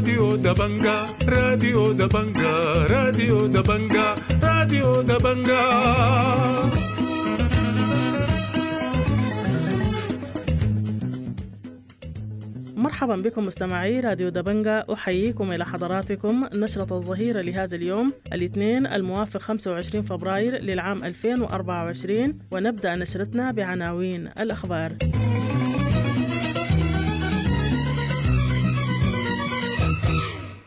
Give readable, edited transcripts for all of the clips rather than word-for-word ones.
راديو دبنجا، راديو دبنجا، راديو دبنجا، راديو دبنجا. مرحبا بكم مستمعي راديو دبنجا، أحييكم إلى حضراتكم نشرة الظهيرة لهذا اليوم الاثنين الموافق 25 فبراير للعام 2024، ونبدأ نشرتنا بعناوين الأخبار.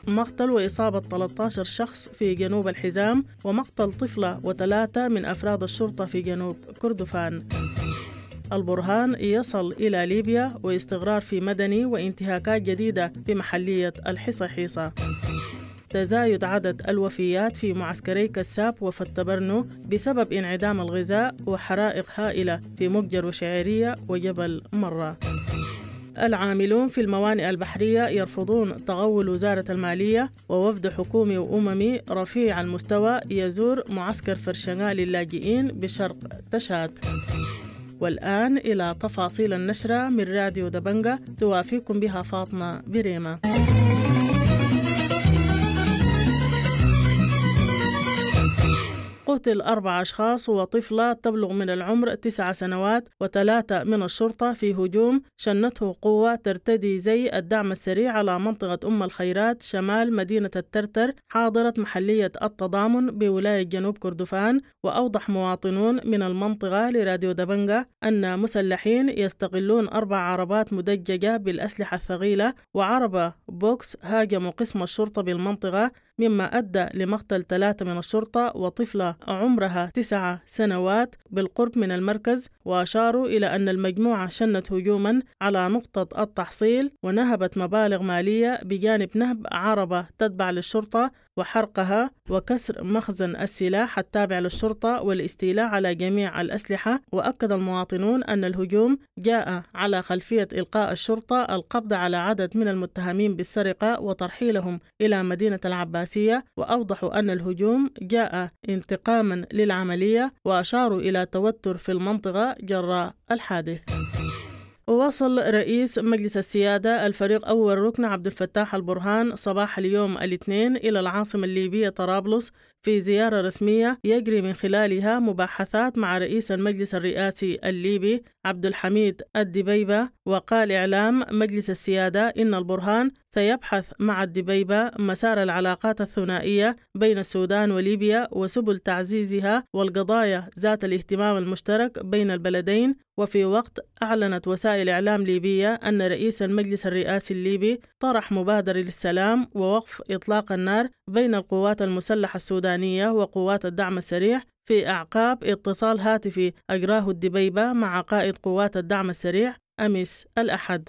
مقتل وإصابة 13 شخص في جنوب الحزام، ومقتل طفلة و3 من أفراد الشرطة في جنوب كردفان. البرهان يصل إلى ليبيا واستقرار في مدني وانتهاكات جديدة في محلية الحصاحيصا. تزايد عدد الوفيات في معسكري كساب وفتبرنو بسبب انعدام الغذاء وحرائق هائلة في مقجر وشعيرية وجبل مرة. العاملون في الموانئ البحرية يرفضون تغول وزارة المالية، ووفد حكومي وأممي رفيع المستوى يزور معسكر فرشنغا للاجئين بشرق تشاد. والآن إلى تفاصيل النشرة من راديو دبنجا توافيكم بها فاطمة بريمة. قتل 4 أشخاص وطفلة تبلغ من العمر 9 سنوات و3 من الشرطة في هجوم شنته قوة ترتدي زي الدعم السريع على منطقة أم الخيرات شمال مدينة الترتر حاضرة محلية التضامن بولاية جنوب كردفان. وأوضح مواطنون من المنطقة لراديو دبنجا أن مسلحين يستغلون 4 عربات مدججة بالأسلحة الثقيلة وعربة بوكس هاجموا قسم الشرطة بالمنطقة، مما أدى لمقتل 3 من الشرطة وطفلة عمرها 9 سنوات بالقرب من المركز. وأشاروا إلى أن المجموعة شنت هجوما على نقطة التحصيل ونهبت مبالغ مالية بجانب نهب عربة تتبع للشرطة وحرقها وكسر مخزن السلاح التابع للشرطة والاستيلاء على جميع الأسلحة. وأكد المواطنون أن الهجوم جاء على خلفية إلقاء الشرطة القبض على عدد من المتهمين بالسرقة وترحيلهم إلى مدينة العباسية. وأوضحوا أن الهجوم جاء انتقاما للعملية، وأشاروا إلى توتر في المنطقة جراء الحادث. ووصل رئيس مجلس السيادة الفريق أول ركن عبد الفتاح البرهان صباح اليوم الاثنين إلى العاصمة الليبية طرابلس في زيارة رسمية يجري من خلالها مباحثات مع رئيس المجلس الرئاسي الليبي عبد الحميد الدبيبة. وقال إعلام مجلس السيادة إن البرهان سيبحث مع الدبيبة مسار العلاقات الثنائية بين السودان وليبيا وسبل تعزيزها والقضايا ذات الاهتمام المشترك بين البلدين. وفي وقت أعلنت وسائل إعلام ليبية أن رئيس المجلس الرئاسي الليبي طرح مبادرة للسلام ووقف إطلاق النار بين القوات المسلحة السودانية وقوات الدعم السريع في أعقاب اتصال هاتفي أجراه الدبيبة مع قائد قوات الدعم السريع أمس الأحد.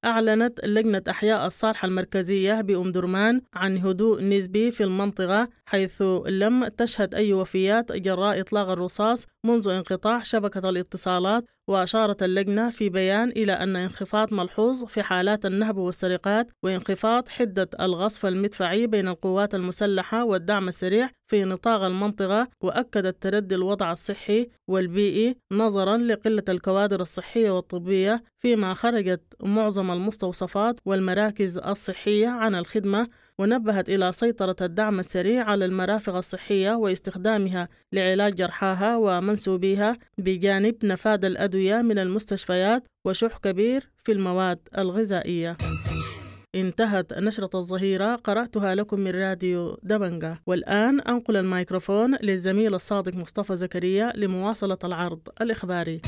أعلنت لجنة أحياء الصالحة المركزية بأم درمان عن هدوء نسبي في المنطقة، حيث لم تشهد أي وفيات جراء إطلاق الرصاص منذ انقطاع شبكة الاتصالات. وأشارت اللجنة في بيان إلى أن انخفاض ملحوظ في حالات النهب والسرقات وانخفاض حدة الغصف المدفعي بين القوات المسلحة والدعم السريع في نطاق المنطقة. وأكدت تردي الوضع الصحي والبيئي نظرا لقلة الكوادر الصحية والطبية، فيما خرجت معظم المستوصفات والمراكز الصحية عن الخدمة. ونبهت إلى سيطرة الدعم السريع على المرافق الصحية واستخدامها لعلاج جرحاها ومنسوبيها، بجانب نفاذ الأدوية من المستشفيات وشح كبير في المواد الغذائية. انتهت نشرة الظهيرة، قرأتها لكم من راديو دبنجا. والآن أنقل الميكروفون للزميل الصادق مصطفى زكريا لمواصلة العرض الإخباري.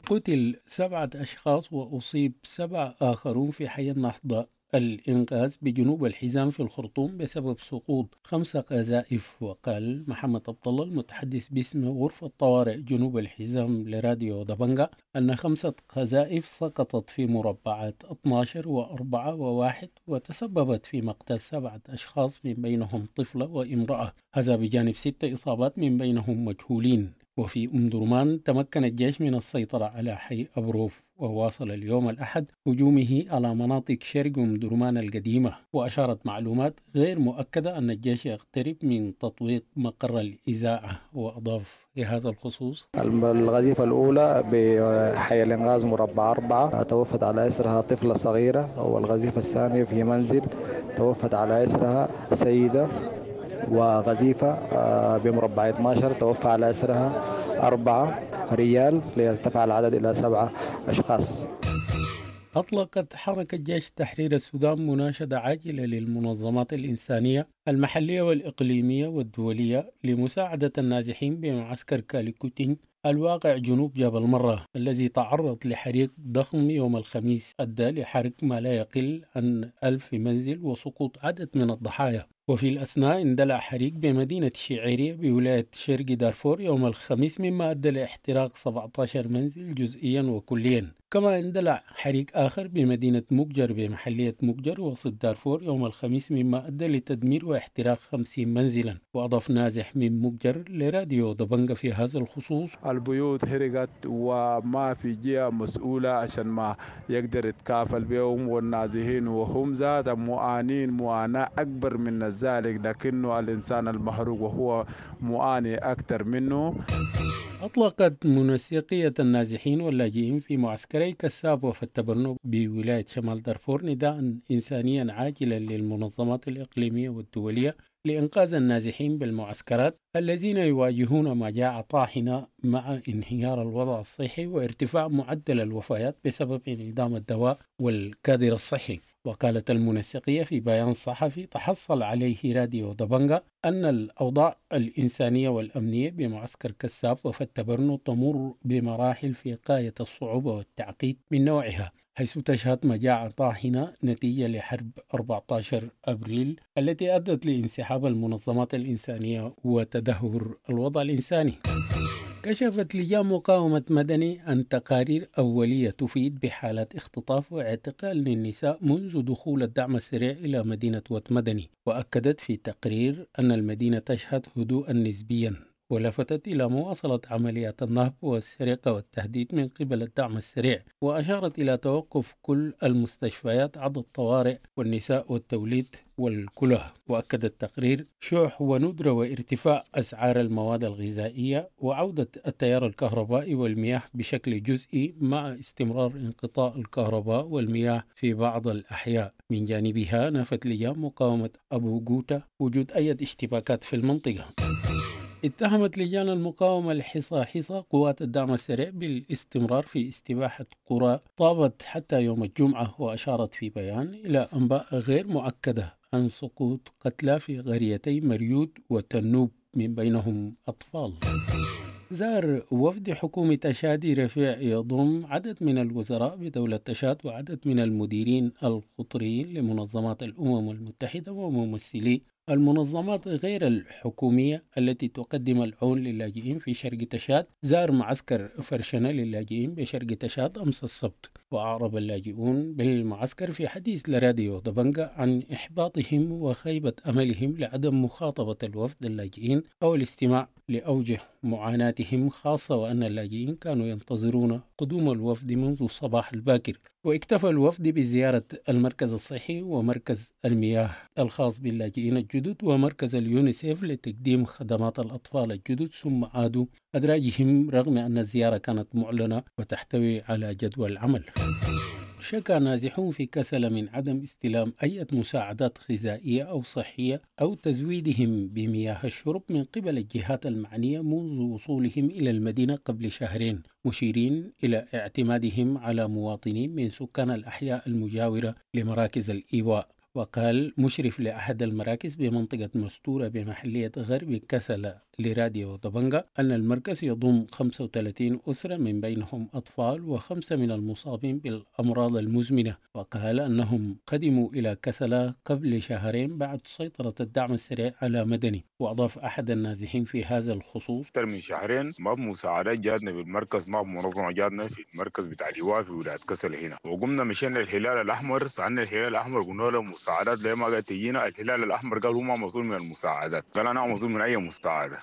قتل 7 أشخاص وأصيب 7 آخرون في حي النهضة الإنقاذ بجنوب الحزام في الخرطوم بسبب سقوط 5 قذائف. وقال محمد عبد الله المتحدث باسم غرفة طوارئ جنوب الحزام لراديو دبنجا أن 5 قذائف سقطت في مربعات 12 و4 و1 وتسببت في مقتل 7 أشخاص من بينهم طفلة وامرأة، هذا بجانب 6 إصابات من بينهم مجهولين. وفي أم درمان تمكن الجيش من السيطرة على حي أبروف، وواصل اليوم الأحد هجومه على مناطق شرق أم درمان القديمة. وأشارت معلومات غير مؤكدة أن الجيش يقترب من تطويق مقر الإذاعة. وأضاف في هذا الخصوص: الغزيفة الأولى بحي الإنغاز مربع 4 توفت على إثرها طفلة صغيرة، والغزيفة الثانية في منزل توفت على إثرها سيدة، وغزيفة بمربع 12 توفى على إثرها 4 ريال ليرتفع العدد إلى 7 أشخاص. أطلقت حركة جيش تحرير السودان مناشدة عاجلة للمنظمات الإنسانية المحلية والإقليمية والدولية لمساعدة النازحين بمعسكر كاليكوتين الواقع جنوب جبل مرة، الذي تعرض لحريق ضخم يوم الخميس أدى لحرق ما لا يقل عن 1000 منزل وسقوط عدد من الضحايا. وفي الأثناء اندلع حريق بمدينة شعيرية بولاية شرق دارفور يوم الخميس، مما أدى لاحتراق 17 منزل جزئيا وكليا. كما اندلع حريق آخر بمدينة مقجر بمحلية مقجر وسط دارفور يوم الخميس، مما أدى لتدمير واحتراق 50 منزلا. وأضاف نازح من مقجر لراديو دبنجة في هذا الخصوص: البيوت هرقت وما في جهة مسؤولة عشان ما يقدر يتكافل بهم والنازحين، وهم ذات معانين معاناة أكبر من ذلك، لكنه الإنسان المحروق وهو معاني أكثر منه. أطلقت منسقية النازحين واللاجئين في معسكري كساب وفتبرنو بولاية شمال دارفور نداء إنسانيا عاجلا للمنظمات الإقليمية والدولية لإنقاذ النازحين بالمعسكرات الذين يواجهون مجاعة طاحنة مع انهيار الوضع الصحي وارتفاع معدل الوفيات بسبب انعدام الدواء والكادر الصحي. وقالت المنسقية في بيان صحفي تحصل عليه راديو دبنجة أن الأوضاع الإنسانية والأمنية بمعسكر كساب وفتبرنو تمر بمراحل في غاية الصعوبة والتعقيد من نوعها، حيث تشهد مجاعة طاحنة نتيجة لحرب 14 أبريل التي أدت لانسحاب المنظمات الإنسانية وتدهور الوضع الإنساني. كشفت لجان مقاومة مدني عن تقارير أولية تفيد بحالات اختطاف واعتقال للنساء منذ دخول الدعم السريع إلى مدينة وات مدني، وأكدت في تقرير أن المدينة تشهد هدوءا نسبيا، ولفتت إلى مواصلة عمليات النهب والسرقة والتهديد من قبل الدعم السريع، وأشارت إلى توقف كل المستشفيات عدا الطوارئ والنساء والتوليد والكلى. وأكد التقرير شح وندرة وارتفاع أسعار المواد الغذائية وعودة التيار الكهربائي والمياه بشكل جزئي مع استمرار انقطاع الكهرباء والمياه في بعض الأحياء. من جانبها نفت لجان مقاومة أبو جوتا وجود أي اشتباكات في المنطقة. اتهمت لجان المقاومة الحصاحيصا قوات الدعم السريع بالاستمرار في استباحة قرى طابت حتى يوم الجمعة، وأشارت في بيان إلى أنباء غير مؤكدة عن سقوط قتلى في قريتي مريود وتنوب من بينهم أطفال. زار وفد حكومة تشاد رفيع يضم عدد من الوزراء بدولة تشاد وعدد من المديرين القطريين لمنظمات الأمم المتحدة وممثلي المنظمات غير الحكومية التي تقدم العون للاجئين في شرق تشاد. زار معسكر فرشنة للاجئين بشرق تشاد أمس السبت، وأعرب اللاجئون بالمعسكر في حديث لراديو دبنجة عن إحباطهم وخيبة أملهم لعدم مخاطبة الوفد اللاجئين أو الاستماع لأوجه معاناتهم، خاصة وأن اللاجئين كانوا ينتظرون قدوم الوفد منذ الصباح الباكر. واكتفى الوفد بزيارة المركز الصحي ومركز المياه الخاص باللاجئين الجدد ومركز اليونيسيف لتقديم خدمات الأطفال الجدد، ثم عادوا أدراجهم رغم أن الزيارة كانت معلنة وتحتوي على جدول العمل. شكى نازحون في كسل من عدم استلام أي مساعدات غذائية أو صحية أو تزويدهم بمياه الشرب من قبل الجهات المعنية منذ وصولهم إلى المدينة قبل شهرين، مشيرين إلى اعتمادهم على مواطنين من سكان الأحياء المجاورة لمراكز الإيواء. وقال مشرف لأحد المراكز بمنطقة مستورة بمحلية غرب كسلة لراديو دبنجة أن المركز يضم 35 أسرة من بينهم أطفال و5 من المصابين بالأمراض المزمنة. وقال أنهم قدموا إلى كسلة قبل شهرين بعد سيطرة الدعم السريع على مدني. وأضاف أحد النازحين في هذا الخصوص: أكثر من شهرين ما في مساعدات جاتنا في المركز، ما في منظمة جاتنا في المركز بتاع الإيواء في ولاية كسلة هنا. وقمنا مشينا الهلال الأحمر، سألنا الهلال الأحمر قلنا له مساعدات ليه ما قاعد تجينا؟ الهلال الأحمر قال هو ما مسؤول من المساعدات، قال أنا مسؤول من أي مساعدة.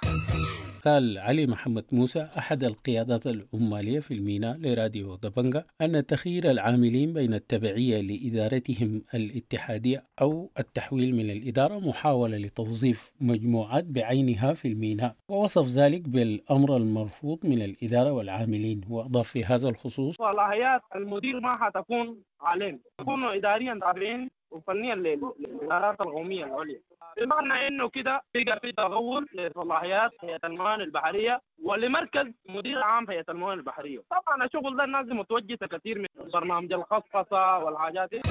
قال علي محمد موسى أحد القيادات العمالية في الميناء لراديو دبنجا أن تخيير العاملين بين التبعية لإدارتهم الاتحادية أو التحويل من الإدارة محاولة لتوظيف مجموعات بعينها في الميناء، ووصف ذلك بالأمر المرفوض من الإدارة والعاملين. وأضاف في هذا الخصوص: صلاحيات المدير ما حتكون علينا، يكونوا إداريا تابعين وفنيا للإدارات القومية العليا، بمعنى انه كده بقى في تغول لصلاحيات هيئه الموانئ البحريه ولمركز مدير عام هيئه الموانئ البحريه. طبعا الشغل ده الناس متوجسه كثير من برنامج الخصخصه والحاجات دي.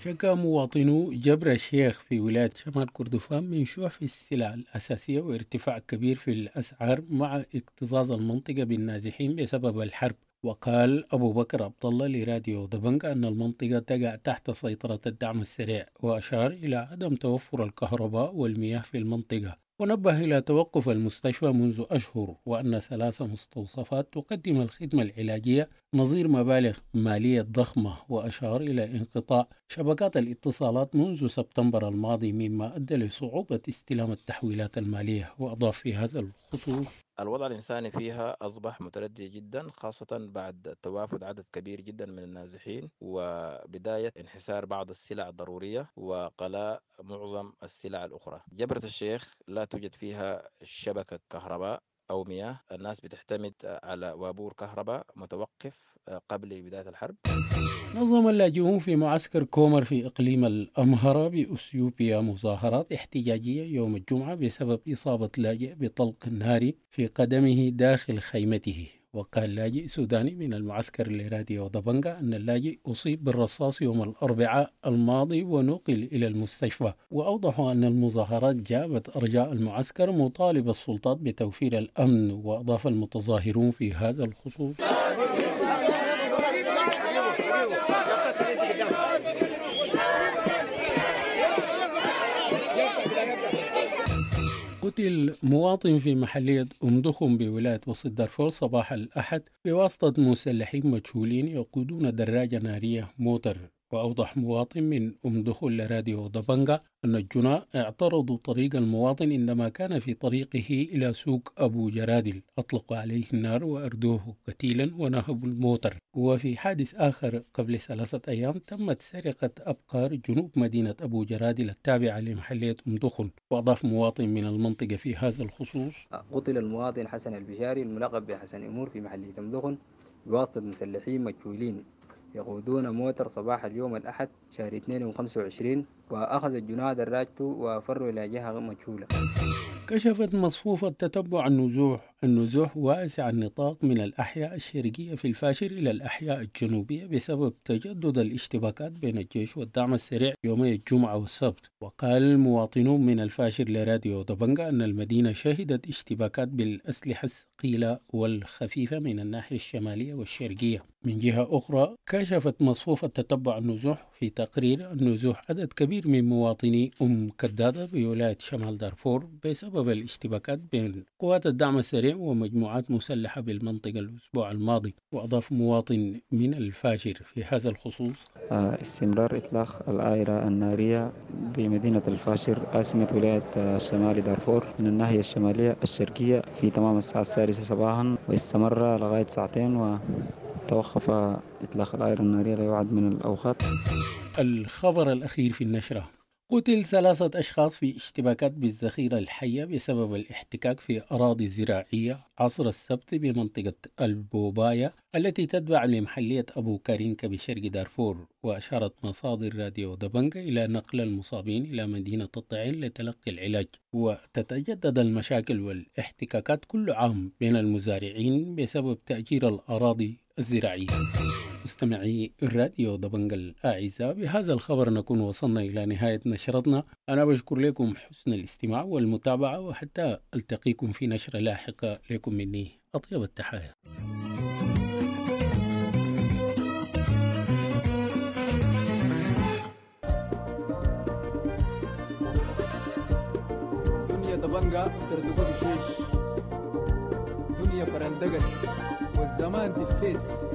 شكا مواطنو جبر الشيخ في ولاية شمال كردفان من شح السلع الأساسية وارتفاع كبير في الأسعار مع اكتظاظ المنطقة بالنازحين بسبب الحرب. وقال أبو بكر عبد الله لراديو دبنجا أن المنطقة تقع تحت سيطرة الدعم السريع، وأشار إلى عدم توفر الكهرباء والمياه في المنطقة، ونبه إلى توقف المستشفى منذ أشهر، وأن 3 مستوصفات تقدم الخدمة العلاجية نظير مبالغ مالية ضخمة، وأشار إلى انقطاع شبكات الاتصالات منذ سبتمبر الماضي مما أدى لصعوبة استلام التحويلات المالية. وأضاف في هذا الخصوص: الوضع الإنساني فيها أصبح متردي جدا، خاصة بعد توافد عدد كبير جدا من النازحين وبداية انحسار بعض السلع الضرورية وقلاء معظم السلع الأخرى. جبرة الشيخ لا توجد فيها شبكة كهرباء أو مياه، الناس بتعتمد على وابور كهرباء متوقف قبل بداية الحرب. نظم اللاجئون في معسكر كومر في إقليم الأمهرة بأثيوبيا مظاهرات احتجاجية يوم الجمعة بسبب إصابة لاجئ بطلق ناري في قدمه داخل خيمته. وقال لاجئ سوداني من المعسكر لراديو دبنجا أن اللاجئ أصيب بالرصاص يوم الأربعاء الماضي ونقل إلى المستشفى. وأوضحوا أن المظاهرات جابت أرجاء المعسكر مطالب السلطات بتوفير الأمن. وأضاف المتظاهرون في هذا الخصوص: قتل مواطن في محلية أم دخم بولاية وسط دارفور صباح الأحد بواسطة مسلحين مجهولين يقودون دراجة نارية موتر. وأوضح مواطن من أم دخل لراديو دبنجا أن الجناة اعترضوا طريق المواطن عندما كان في طريقه إلى سوق أبو جرادل، أطلقوا عليه النار وأردوه قتيلا ونهبوا الموتر. وفي حادث آخر قبل 3 أيام تمت سرقة أبقار جنوب مدينة أبو جرادل التابعة لمحلية أم دخن. وأضاف مواطن من المنطقة في هذا الخصوص: قتل المواطن حسن البشاري الملقب بحسن أمور في محلية أم دخن بواسطة مسلحين مجهولين يقودون موتر صباح اليوم الأحد شهر 2/25، وأخذ الجناة دراجته وفروا إلى جهة مجهولة. كشفت مصفوفة تتبع النزوح واسع النطاق من الأحياء الشرقية في الفاشر إلى الأحياء الجنوبية بسبب تجدد الاشتباكات بين الجيش والدعم السريع يومي الجمعة والسبت. وقال مواطنون من الفاشر لراديو دبنجا أن المدينة شهدت اشتباكات بالأسلحة الثقيلة والخفيفة من الناحية الشمالية والشرقية. من جهة أخرى كشفت مصفوفة تتبع النزوح في تقرير النزوح عدد كبير من مواطني أم كدادة بولاية شمال دارفور بسبب الاشتباكات بين قوات الدعم السريع ومجموعات مسلحة بالمنطقة الأسبوع الماضي. وأضاف مواطن من الفاشر في هذا الخصوص: استمرار إطلاق العائرة النارية بمدينة الفاشر عاصمة ولاية شمال دارفور من الناحية الشمالية الشرقية في تمام الساعة 6 صباحا، واستمر لغاية ساعتين وتوقف إطلاق العائرة النارية ليعد من الأوقات. الخبر الأخير في النشرة: قتل 3 أشخاص في اشتباكات بالذخيرة الحية بسبب الاحتكاك في أراضي زراعية عصر السبت بمنطقة البوباية التي تتبع لمحلية أبو كارينكا بشرق دارفور. وأشارت مصادر راديو دبنجا إلى نقل المصابين إلى مدينة الطعين لتلقي العلاج. وتتجدد المشاكل والاحتكاكات كل عام بين المزارعين بسبب تأجير الأراضي الزراعية. مستمعي الراديو دبنجا الأعزاء، بهذا الخبر نكون وصلنا إلى نهاية نشرتنا. أنا بشكر لكم حسن الاستماع والمتابعة، وحتى ألتقيكم في نشرة لاحقة. لكم مني أطيب التحايا. دنيا دبنجا تردقوا بشيش، دنيا فرندقس والزمان دفيس.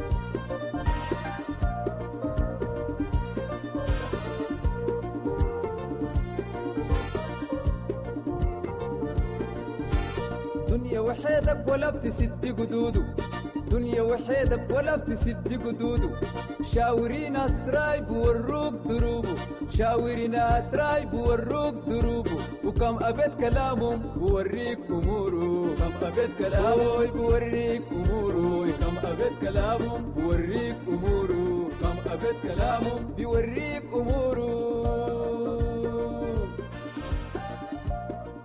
دنيا وحشة. وحيدك ولا بتسد قدوده، دنيا وحيدك ولا بتسد قدوده. شاوري ناس رايب وروك دروبه، شاوري ناس رايب وروك دروبه. وكم أبيت كلامهم بوريك أموره، كم أبيت كلامه بوريك أموره، كم أبيت كلامهم بوريك أموره، كم أبيت كلامهم بيوريك أموره.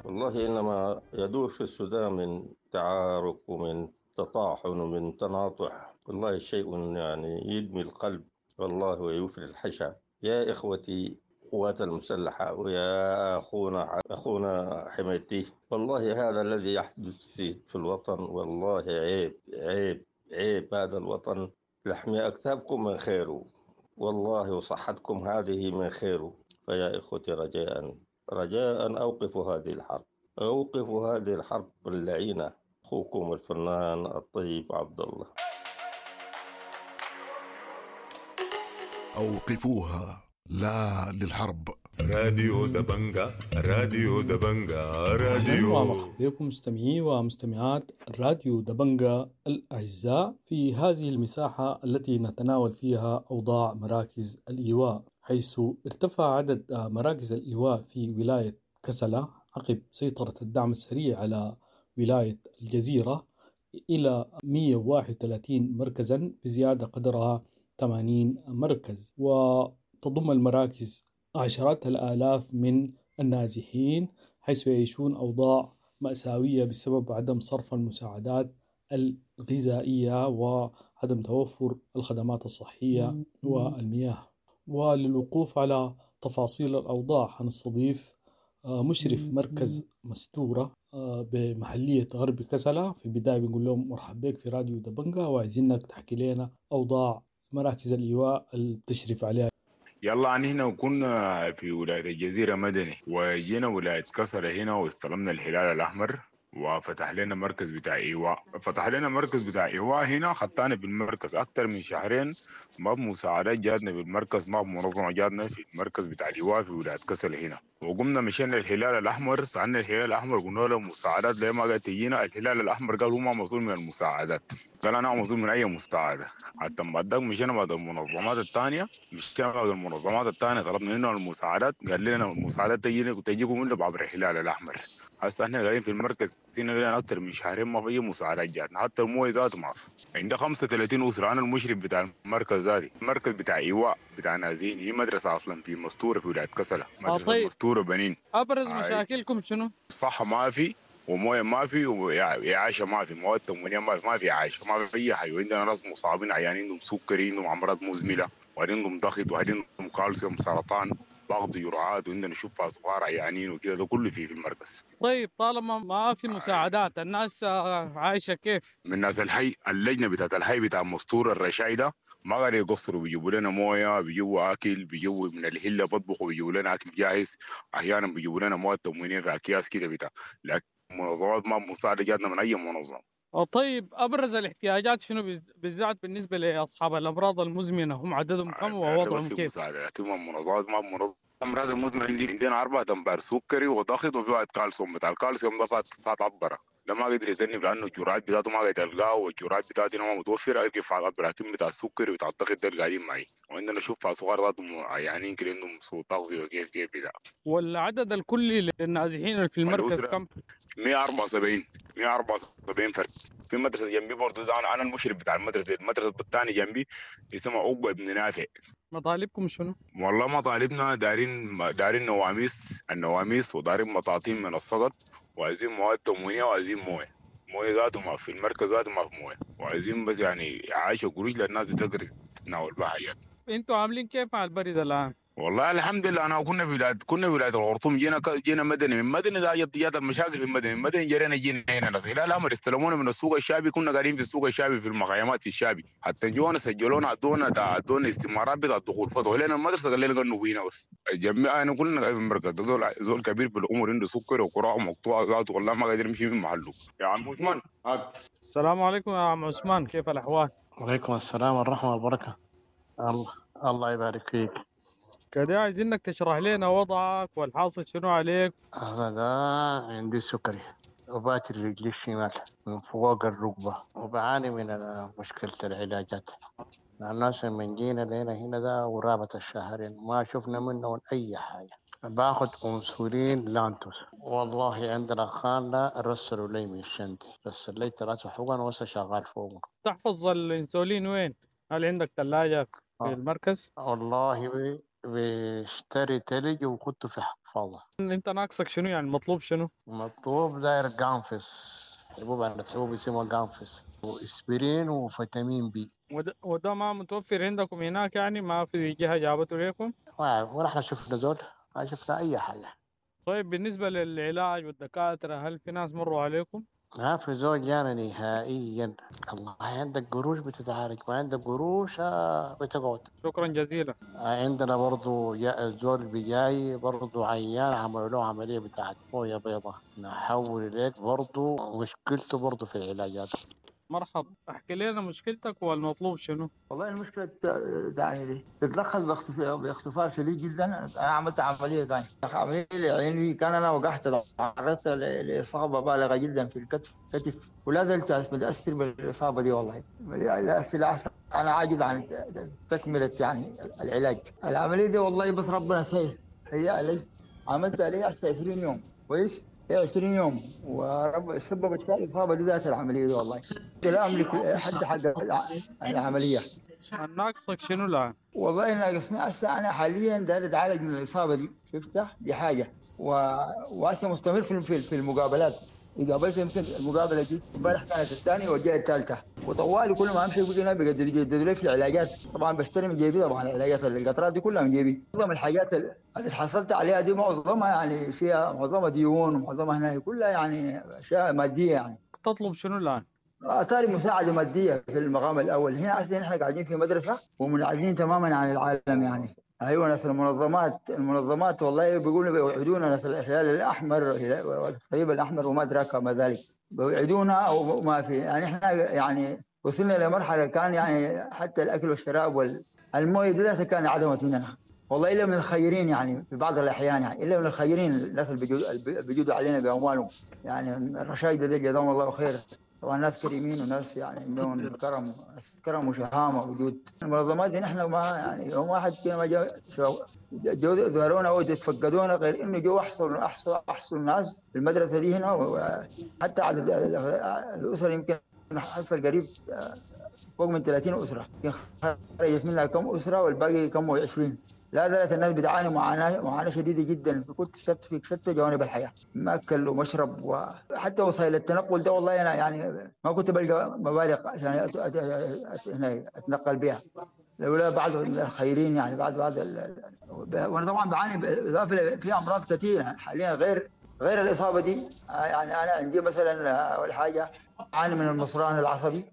والله إنما يدور في السودان من تعارك ومن تطاحن ومن تناطح، والله شيء يعني يدمي القلب والله ويفري الحشا. يا إخوتي قوات المسلحة ويا أخونا حميدتي، والله هذا الذي يحدث في الوطن والله عيب عيب عيب. هذا الوطن لحم أكتافكم من خيره والله، وصحتكم هذه من خيره. فيا إخوتي رجاء رجاء أوقفوا هذه الحرب، أوقفوا هذه الحرب اللعينة. أخوكم الفنان الطيب عبد الله. أوقفوها، لا للحرب. راديو دبنجا، راديو دبنجا، راديو. ومرحبا بكم مستمعي ومستمعات راديو دبنجا الأعزاء في هذه المساحة التي نتناول فيها أوضاع مراكز الإيواء، حيث ارتفع عدد مراكز الإيواء في ولاية كسلا عقب سيطرة الدعم السريع على ولاية الجزيرة إلى 131 مركزا، بزيادة قدرها 80 مركز. وتضم المراكز عشرات الآلاف من النازحين، حيث يعيشون أوضاع مأساوية بسبب عدم صرف المساعدات الغذائية وعدم توفر الخدمات الصحية والمياه. وللوقوف على تفاصيل الأوضاع هنستضيف مشرف مركز مستورة بمحلية غرب كسلا. في البداية بنقول لهم مرحب بك في راديو دبنجا، وعايزينك تحكي لنا أوضاع مراكز الإيواء اللي بتشرف عليها. يلا عن هنا وكنا في ولاية الجزيرة مدني، وجينا ولاية كسلا هنا واستلمنا الهلال الأحمر وفتح لنا مركز بتاع إيواء. فتح لنا مركز بتاع إيواء هنا، خطانا بالمركز أكتر من شهرين، ما بمساعدات جاتنا في المركز، ما بمنظمة جاتنا في المركز بتاع الإيواء في ولاية كسلا هنا. وقمنا مشينا الهلال الأحمر، سألنا الهلال الأحمر قلنا له مساعدات ليه ما قاعد تجينا؟ الهلال الأحمر قال هو ما مسؤول من المساعدات، قال أنا مسؤول من أي مساعدة. حتى بعد ذاك مشينا بعد المنظمات الثانية، مشينا بعد المنظمات الثانية طلبنا منهم المساعدات، قال لنا المساعدات تجيكم منه بعبر الهلال الأحمر. هسه احنا قاعدين في المركز لنا أكثر من شهرين ما في مساعدات جاتنا، حتى المويه ذاته ما في. عندي 35 أسرة، أنا المشرف بتاع المركز ذاتي، المركز بتاع إيواء بتاع نازين، هي مدرسة أصلا في مستورة في ولاية كسلا، مدرسة طيب. مستورة بنين. أبرز مشاكلكم شنو؟ صحة ما في، ومويه ما في، وإعاشة ما في، مواد تموينية ما في، ما في إعاشة، ما في أي حاجة. وعندنا ناس مصابين عيانين عندهم سكري، عندهم أمراض مزمنة، وعندهم ضغط، وعندهم كالسيوم، سرطان، ضغط، جرعات، وعندنا نشوفها صغار عيانين وكذا، ده كله في المركز. طيب طالما ما في مساعدات الناس عايشة كيف؟ من ناس الحي، اللجنة بتاعت الحي بتاع مستور الرشايدة ما قاعد يقصروا، بيجيبوا لنا مويه، بيجيبوا اكل، بيجيبوا من الهله بطبخوا، بيجيبوا لنا اكل جاهز، احيانا بيجيبوا لنا مواد تموينيه في اكياس كده بتاع، لكن منظمات ما مساعدة جاتنا من اي منظمة. طيب ابرز الاحتياجات شنو بالذات بالنسبة لاصحاب الامراض المزمنة، هم عددهم كم ووضعهم كيف؟ مساعدة، لكن منظمات ما منظمة. الامراض المزمنة عندنا 4 أمبار سكري وضغط، وفي واحد كالسيوم، بتاع الكالسيوم ده فات عبره، ده ما قدر يذنب لانه الجرعات بتاعته ما قاعد تلقاه، والجرعات بتاعته ما متوفرة، كيف على لكن بتاع السكري وبتاع الضغط ده اللي قاعدين معي. وعندنا شوف صغار ذاتهم عيانين كده عندهم سوء تغذية وكيف كيف بتاع. والعدد الكلي للنازحين في المركز كم؟ 174 فرد. في مدرسه جنبي برضه، ده انا المشرف بتاع المدرسة، المدرسة الثانية جنبي اسمها عقبه بن نافع. مطالبكم شنو؟ والله مطالبنا دارين نواميس، النواميس، ودارين مطاطين من السقط، وعايزين مواد تموينيه، وعايزين مويه، مويه ذاته ما في المركز، ذاته ما في مويه، وعايزين بس يعني عايشه قروش للناس تقدر تتناول بها حاجات. انتوا عاملين كيف مع البرد الان؟ والله الحمد لله. انا كنا في ولاية الخرطوم، جينا مدني، من مدني ده جات المشاكل في مدني، من مدني جرينا جينا هنا ناس الهلال الاحمر استلمونا من السوق الشعبي، كنا قاعدين في السوق الشعبي في المخيمات في الشعبي، حتى جونا سجلونا ادونا استمارات بتاع الدخول، فتحوا لنا المدرسة قال لنا قنوا بينا بس. الجميع انا كلنا قاعدين في المركز ده، زول كبير في العمر عنده سكر وكراعه مقطوعة ذاته والله ما قادر يمشي من محله. يا عم عثمان. السلام عليكم يا عم عثمان، كيف الاحوال؟ وعليكم السلام والرحمة والبركة. الله يبارك فيك. كده عايزينك تشرح لنا وضعك والحاصل شنو عليك. أنا ده عندي سكري، وباتر رجلي الشمال من فوق الركبة، وبعاني من مشكلة العلاجات. الناس من جينا لنا هنا ده قرابة الشهرين ما شفنا منهم أي حاجة. باخد أنسولين لانتوس. والله عندنا خالة رسلوا لي من شندي، رسل لي 3 حقن وهسه شغال فوقهم. تحفظ الانسولين وين؟ هل عندك ثلاجة في المركز؟ والله بشتري تلج وخدته في حفاظة. انت ناقصك شنو يعني؟ المطلوب شنو؟ مطلوب داير قانفس، حبوب عند حبوب اسمها قانفس، واسبرين وفيتامين بي. وده ما متوفر عندكم هناك يعني؟ ما في جهة جابته لكم؟ ولا احنا شفنا زول، ما شفنا اي حاجة. طيب بالنسبة للعلاج والدكاترة، هل في ناس مروا عليكم؟ ما في زول جانا نهائيا. الله عندك قروش بتتعالج، ما عندك قروش بتقعد. شكرا جزيلا. عندنا برضو زول بجاي برضو عيان، عملوا له عملية بتاعت موية بيضة، نحول إليك برضو مشكلته برضو في العلاجات. مرحبا، احكي لنا مشكلتك والمطلوب شنو؟ والله المشكلة يعني تتلخص باختصار شديد جدا. أنا عملت عملية، كان عملية لعيني، كان أنا وقعت تعرضت لإصابة بالغة جدا في الكتف، ولا زلت متأثر بالإصابة دي والله. أنا عاجز عن تكملة يعني العلاج. العملية دي والله بس ربنا سهل هي لي، عملتها لي هسه 20 يوم، كويس؟ هي 20 يوم ورب سببت فيها الإصابة دي ذات العملية دي والله. لا أملك حد حق العملية. ناقصك شنو الآن؟ والله ناقصني هسه أنا حاليا داير أتعالج من الإصابة دي، شفتها؟ دي حاجة، وهسه مستمر في المقابلات. قابلت يمكن المقابلة دي امبارح كانت الثانية والجايه الثالثة، وطوالي كل ما امشي يقول لي بيجددوا لي في العلاجات. طبعا بشتري من جيبي، طبعا العلاجات القطرات دي كلها من جيبي. معظم الحاجات اللي حصلت عليها دي معظمها يعني فيها معظمها ديون، ومعظمها هنا كلها يعني اشياء مادية يعني. تطلب شنو الان؟ اثاري مساعدة مادية في المقام الاول هنا، عشان احنا قاعدين في مدرسه ومنعزلين تماما عن العالم يعني. ايوه ناس المنظمات والله بيقولوا بيوعدونا، ناس الهلال الاحمر والصليب الاحمر وما ادراك ما ذلك، بيوعدونا وما في يعني. احنا يعني وصلنا لمرحلة كان يعني حتى الاكل والشراب والمويه دي ذاتها كان عدمت مننا والله، الا من الخيرين يعني في بعض الاحيان، يعني الا من الخيرين الناس اللي بيجودوا علينا باموالهم يعني. الرشايده دي جزاهم الله خير، طبعا ناس كريمين وناس يعني عندهم كرم وشهامه وجود. المنظمات دي نحن ما يعني يوم واحد كده ما جو زارونا او تفقدونا، غير انه جو احصل ناس في المدرسة دي هنا، وحتى عدد الاسر يمكن حصل قريب فوق من 30 اسره، خرجت منها كم اسره والباقي كم 20. لا زالت الناس بتعاني معاناة شديدة جدا في كل في شتى جوانب الحياة، مأكل ومشرب وحتى وسائل التنقل ده. والله أنا يعني ما كنت بلقى مبالغ عشان أتنقل بها لولا بعض الخيرين يعني بعض وأنا طبعا بعاني بالإضافة في أمراض كثيرة حاليا غير الإصابة دي. يعني أنا عندي مثلا أول حاجة أعاني من المصران العصبي،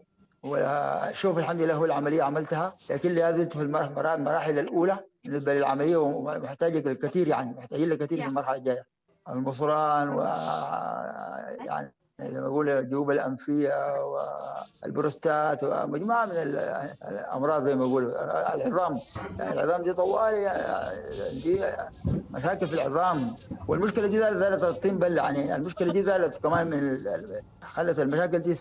وشوف الحمد لله هو العملية عملتها، لكن لا زلت في المراحل الأولى بالنسبة للعملية، ومحتاجة الكثير يعني محتاجين لكثير في المرحلة الجاية. المصران و يعني زي ما أقول الجيوب الأنفية والبروستات ومجموعة من الأمراض زي ما أقول. العظام يعني العظام دي طوالي دي مشاكل في العظام، والمشكلة دي زالت الطين بل يعني. المشكلة دي زالت كمان من خلت المشاكل دي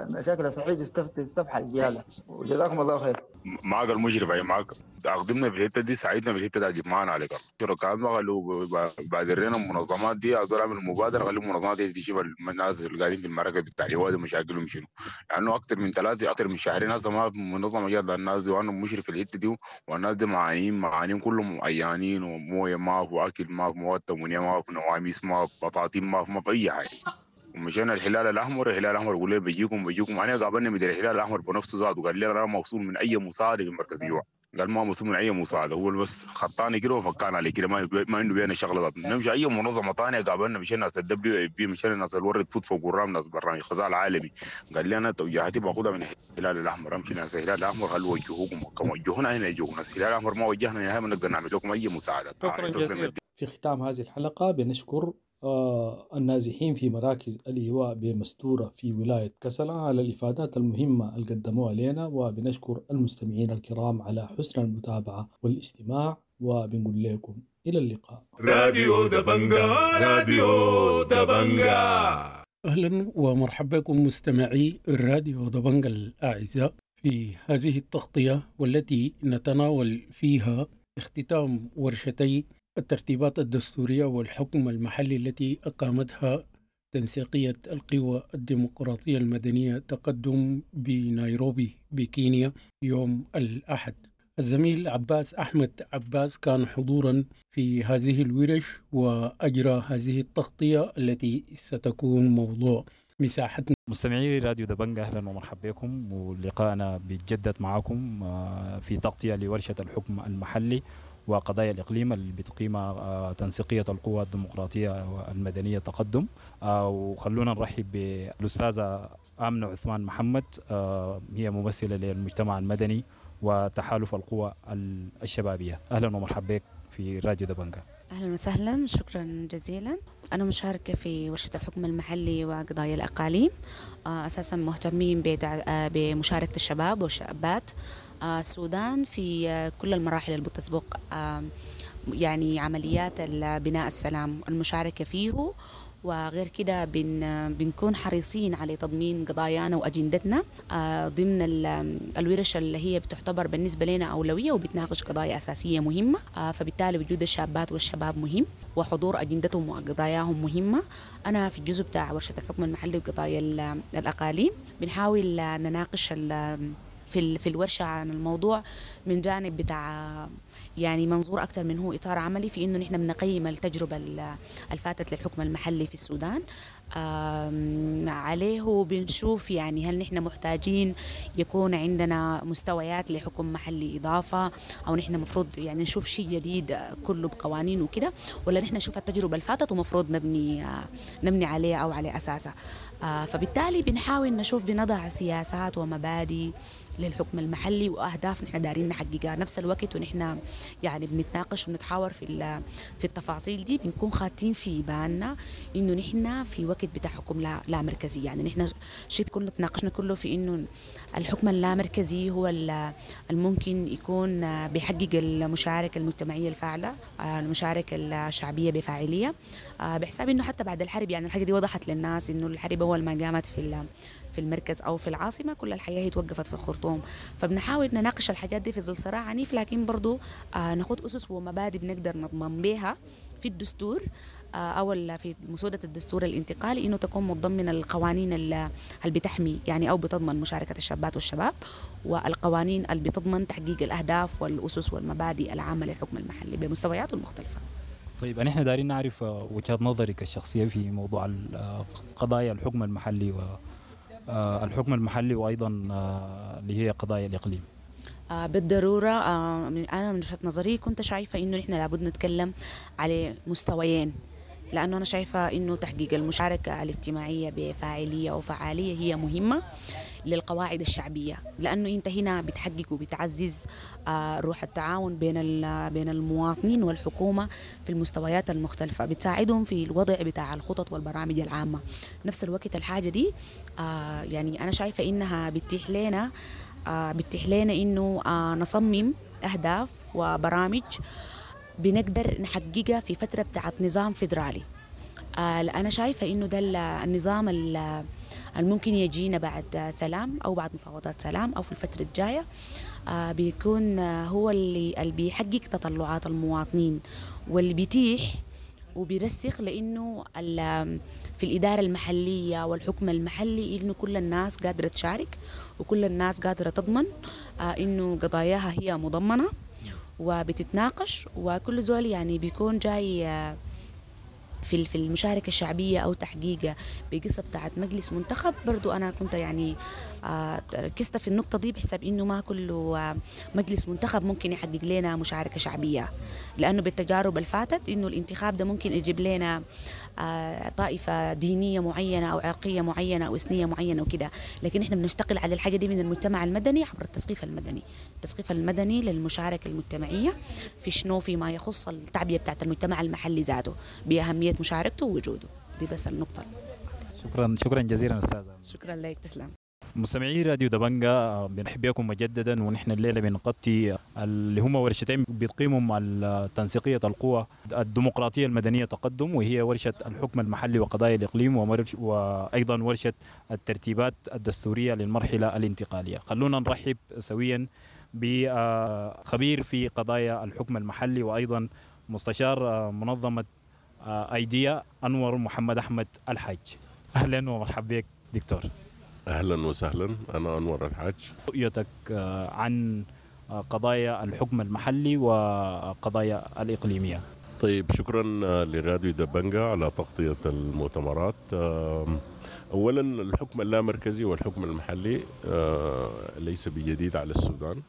مشاكل الصحية تستفحل زيادة. وجزاكم الله خير. معك المشرف اي معك اخدمنا في الحتة دي، ساعدنا في الحتة دي معنا عليك الله. شركاء ما قالوا بادرنا المنظمات دي اقدر اعمل مبادرة، خلي المنظمات دي تشوف الناس اللي قاعدين في المراكز بتاع الوادي مشاكلهم شنو، لانه اكثر من 3 اكثر من شهرين هسه ما منظمة جات للناس دي، وانا مشرف في الحتة دي، والناس دي معانين كلهم عيانين، ومويه ما في، واكل ما في، مواد تموينيه ما في، نواميس ما في، بطاطين ما في اي حاجة. ومشينا الهلال الاحمر، الهلال الاحمر يقول لي بيجيكم. انا قابلني مدير الهلال الاحمر بنفسه ذاته، وقال لي انا موصول من اي مساعدة في مركز ايواء، قال ما موصول من اي مساعدة، هو بس خطاني كده وفكان علي كده، ما عنده بينا شغله ذاته. نمشي اي منظمة ثانية قابلنا، مشينا ناس ال WFP، مشينا ناس ال World Food Program، ناس برنامج الغذاء العالمي، قال لي انا توجيهاتي باخذها من الهلال الاحمر، امشي ناس الهلال الاحمر خلوا وجهوكم كما وجهونا هنا يجوكم ناس الهلال الاحمر، ما وجهنا نهائي ما نقدر نعمل لكم اي مساعدة. شكرا جزيلا. في ختام هذه الحلقة بنشكر النازحين في مراكز الإيواء بمستورة في ولاية كسلا على الإفادات المهمة اللي قدموها لنا، وبنشكر المستمعين الكرام على حسن المتابعة والاستماع، وبنقول لكم إلى اللقاء. راديو دبنجا، راديو دبنجا. أهلا ومرحبا بكم مستمعي الراديو دبنجا الأعزاء في هذه التغطية والتي نتناول فيها اختتام ورشتي الترتيبات الدستورية والحكم المحلي التي أقامتها تنسيقية القوى الديمقراطية المدنية تقدم بنيروبي بكينيا يوم الأحد. الزميل عباس أحمد عباس كان حضورا في هذه الورش وأجرى هذه التغطية التي ستكون موضوع مساحتنا. مستمعي راديو دبنجا، أهلا ومرحبا بكم، ولقاءنا بيتجدد معكم في تغطية لورشة الحكم المحلي وقضايا الإقليم اللي بتقيمها تنسيقية القوى الديمقراطية المدنية تقدم. وخلونا نرحب بالأستاذة آمنة عثمان محمد، هي ممثلة للمجتمع المدني وتحالف القوى الشبابية. أهلا ومرحبا بك في راديو دبنجا. أهلا وسهلا، شكرا جزيلا. أنا مشاركة في ورشة الحكم المحلي وقضايا الأقاليم. أساسا مهتمين بمشاركة الشباب والشابات السودان في كل المراحل اللي بتسبق يعني عمليات بناء السلام، المشاركة فيه. وغير كده بنكون حريصين على تضمين قضايانا وأجندتنا ضمن الورش اللي هي بتعتبر بالنسبة لنا أولوية وبتناقش قضايا أساسية مهمة. فبالتالي وجود الشابات والشباب مهم، وحضور أجندتهم وقضاياهم مهمة. أنا في الجزء بتاع ورشة الحكم المحلي وقضايا الأقاليم بنحاول نناقش في الورشة عن الموضوع من جانب بتاع يعني منظور أكثر من هو إطار عملي، في إنه نحن بنقيم التجربة الفاتت للحكم المحلي في السودان عليه، بنشوف يعني هل نحن محتاجين يكون عندنا مستويات لحكم محلي إضافة، أو نحن مفروض يعني نشوف شيء جديد كله بقوانين وكده، ولا نحن نشوف التجربة الفاتت ومفروض نبني عليها أو على أساسها. فبالتالي بنحاول نشوف، بنضع سياسات ومبادئ للحكم المحلي وأهداف نحن دارين نحققها نفس الوقت، ونحن يعني بنتناقش ونتحاور في التفاصيل دي. بنكون خاتين في بالنا إنه نحن في وقت بتاع حكم لا مركزي، يعني نحن شيء كله تناقشنا كله في إنه الحكم اللامركزي هو الممكن يكون بيحقق المشاركة المجتمعية الفاعلة، المشاركة الشعبية بفاعلية، بحساب إنه حتى بعد الحرب يعني الحاجة دي وضحت للناس إنه الحرب أول ما قامت في المركز أو في العاصمة كل الحياة هي توقفت في الخرطوم. فبنحاول نناقش الحاجات دي في ظل صراع عنيف، لكن برضو ناخد أسس ومبادئ بنقدر نضمن بها في الدستور أو في مسودة الدستور الانتقالي إنه تكون متضمنة القوانين اللي بتحمي يعني أو بتضمن مشاركة الشابات والشباب، والقوانين اللي بتضمن تحقيق الأهداف والأسس والمبادئ العامة للحكم المحلي بمستوياته المختلفة. طيب، نحن دارين نعرف وجهة نظرك الشخصية في موضوع قضايا الحكم المحلي والحكم المحلي وأيضا اللي هي قضايا الإقليم. بالضرورة أنا من وجهة نظري كنت شايفة إنه نحن لابد نتكلم على مستويين، لأنه أنا شايفة إنه تحقيق المشاركة الاجتماعية بفاعلية وفعالية هي مهمة للقواعد الشعبية، لأنه أنت هنا بتحقق وبتعزز روح التعاون بين المواطنين والحكومة في المستويات المختلفة، بتساعدهم في الوضع بتاع الخطط والبرامج العامة. نفس الوقت الحاجة دي يعني أنا شايفة إنها بتتيح لنا إنه نصمم أهداف وبرامج بنقدر نحققها في فترة بتاعت نظام فيدرالي. أنا شايفة إنه ده النظام الممكن يجينا بعد سلام أو بعد مفاوضات سلام أو في الفترة الجاية، بيكون هو اللي بيحقق تطلعات المواطنين واللي بيتيح وبيرسخ، لأنه في الإدارة المحلية والحكم المحلي إنه كل الناس قادرة تشارك وكل الناس قادرة تضمن إنه قضاياها هي مضمنة وبتتناقش، وكل زول يعني بيكون جاي في المشاركة الشعبية أو تحقيق بقصة بتاعت مجلس منتخب. برضو أنا كنت يعني ركزت في النقطة دي بحسب إنه ما كل مجلس منتخب ممكن يحقق لنا مشاركة شعبية، لأنه بالتجارب الفاتت إنه الانتخاب ده ممكن يجيب لنا طائفة دينية معينة أو عرقية معينة أو إثنية معينة وكده، لكن إحنا بنشتغل على الحاجة دي من المجتمع المدني عبر التثقيف المدني، التثقيف المدني للمشاركة المجتمعية في شنو، فيما يخص التعبئة بتاعت المجتمع المحلي ذاته بأهمية مشاركته ووجوده. دي بس النقطة. شكرا جزيلا أستاذة. شكرا لك، تسلم. مستمعي راديو دبنجا، بنرحب بكم مجددا، ونحن الليلة بنغطي اللي هم ورشتين بتقيمهم تنسيقية القوى الديمقراطية المدنية تقدم، وهي ورشة الحكم المحلي وقضايا الإقليم، وأيضا ورشة الترتيبات الدستورية للمرحلة الانتقالية. خلونا نرحب سويا بخبير في قضايا الحكم المحلي وأيضا مستشار منظمة أيديا، أنور محمد أحمد الحاج. أهلا ومرحبا بك دكتور. أهلا وسهلا، أنا أنور الحاج. رؤيتك عن قضايا الحكم المحلي وقضايا الإقليمية. طيب، شكرا لراديو دبنجا على تغطية المؤتمرات. أولا، الحكم اللامركزي والحكم المحلي ليس بجديد على السودان.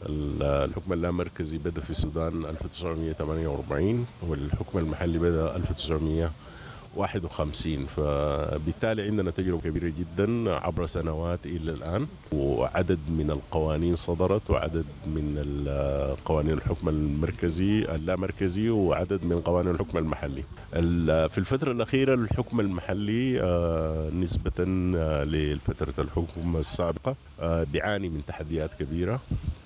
الحكم اللامركزي بدأ في السودان 1948، والحكم المحلي بدأ 1951، فبالتالي عندنا تجربة كبيرة جدا عبر سنوات إلى الآن، وعدد من القوانين صدرت، وعدد من قوانين الحكم المركزي اللامركزي، وعدد من قوانين الحكم المحلي. في الفترة الأخيرة الحكم المحلي نسبة لفترة الحكم السابقة بيعاني من تحديات كبيرة،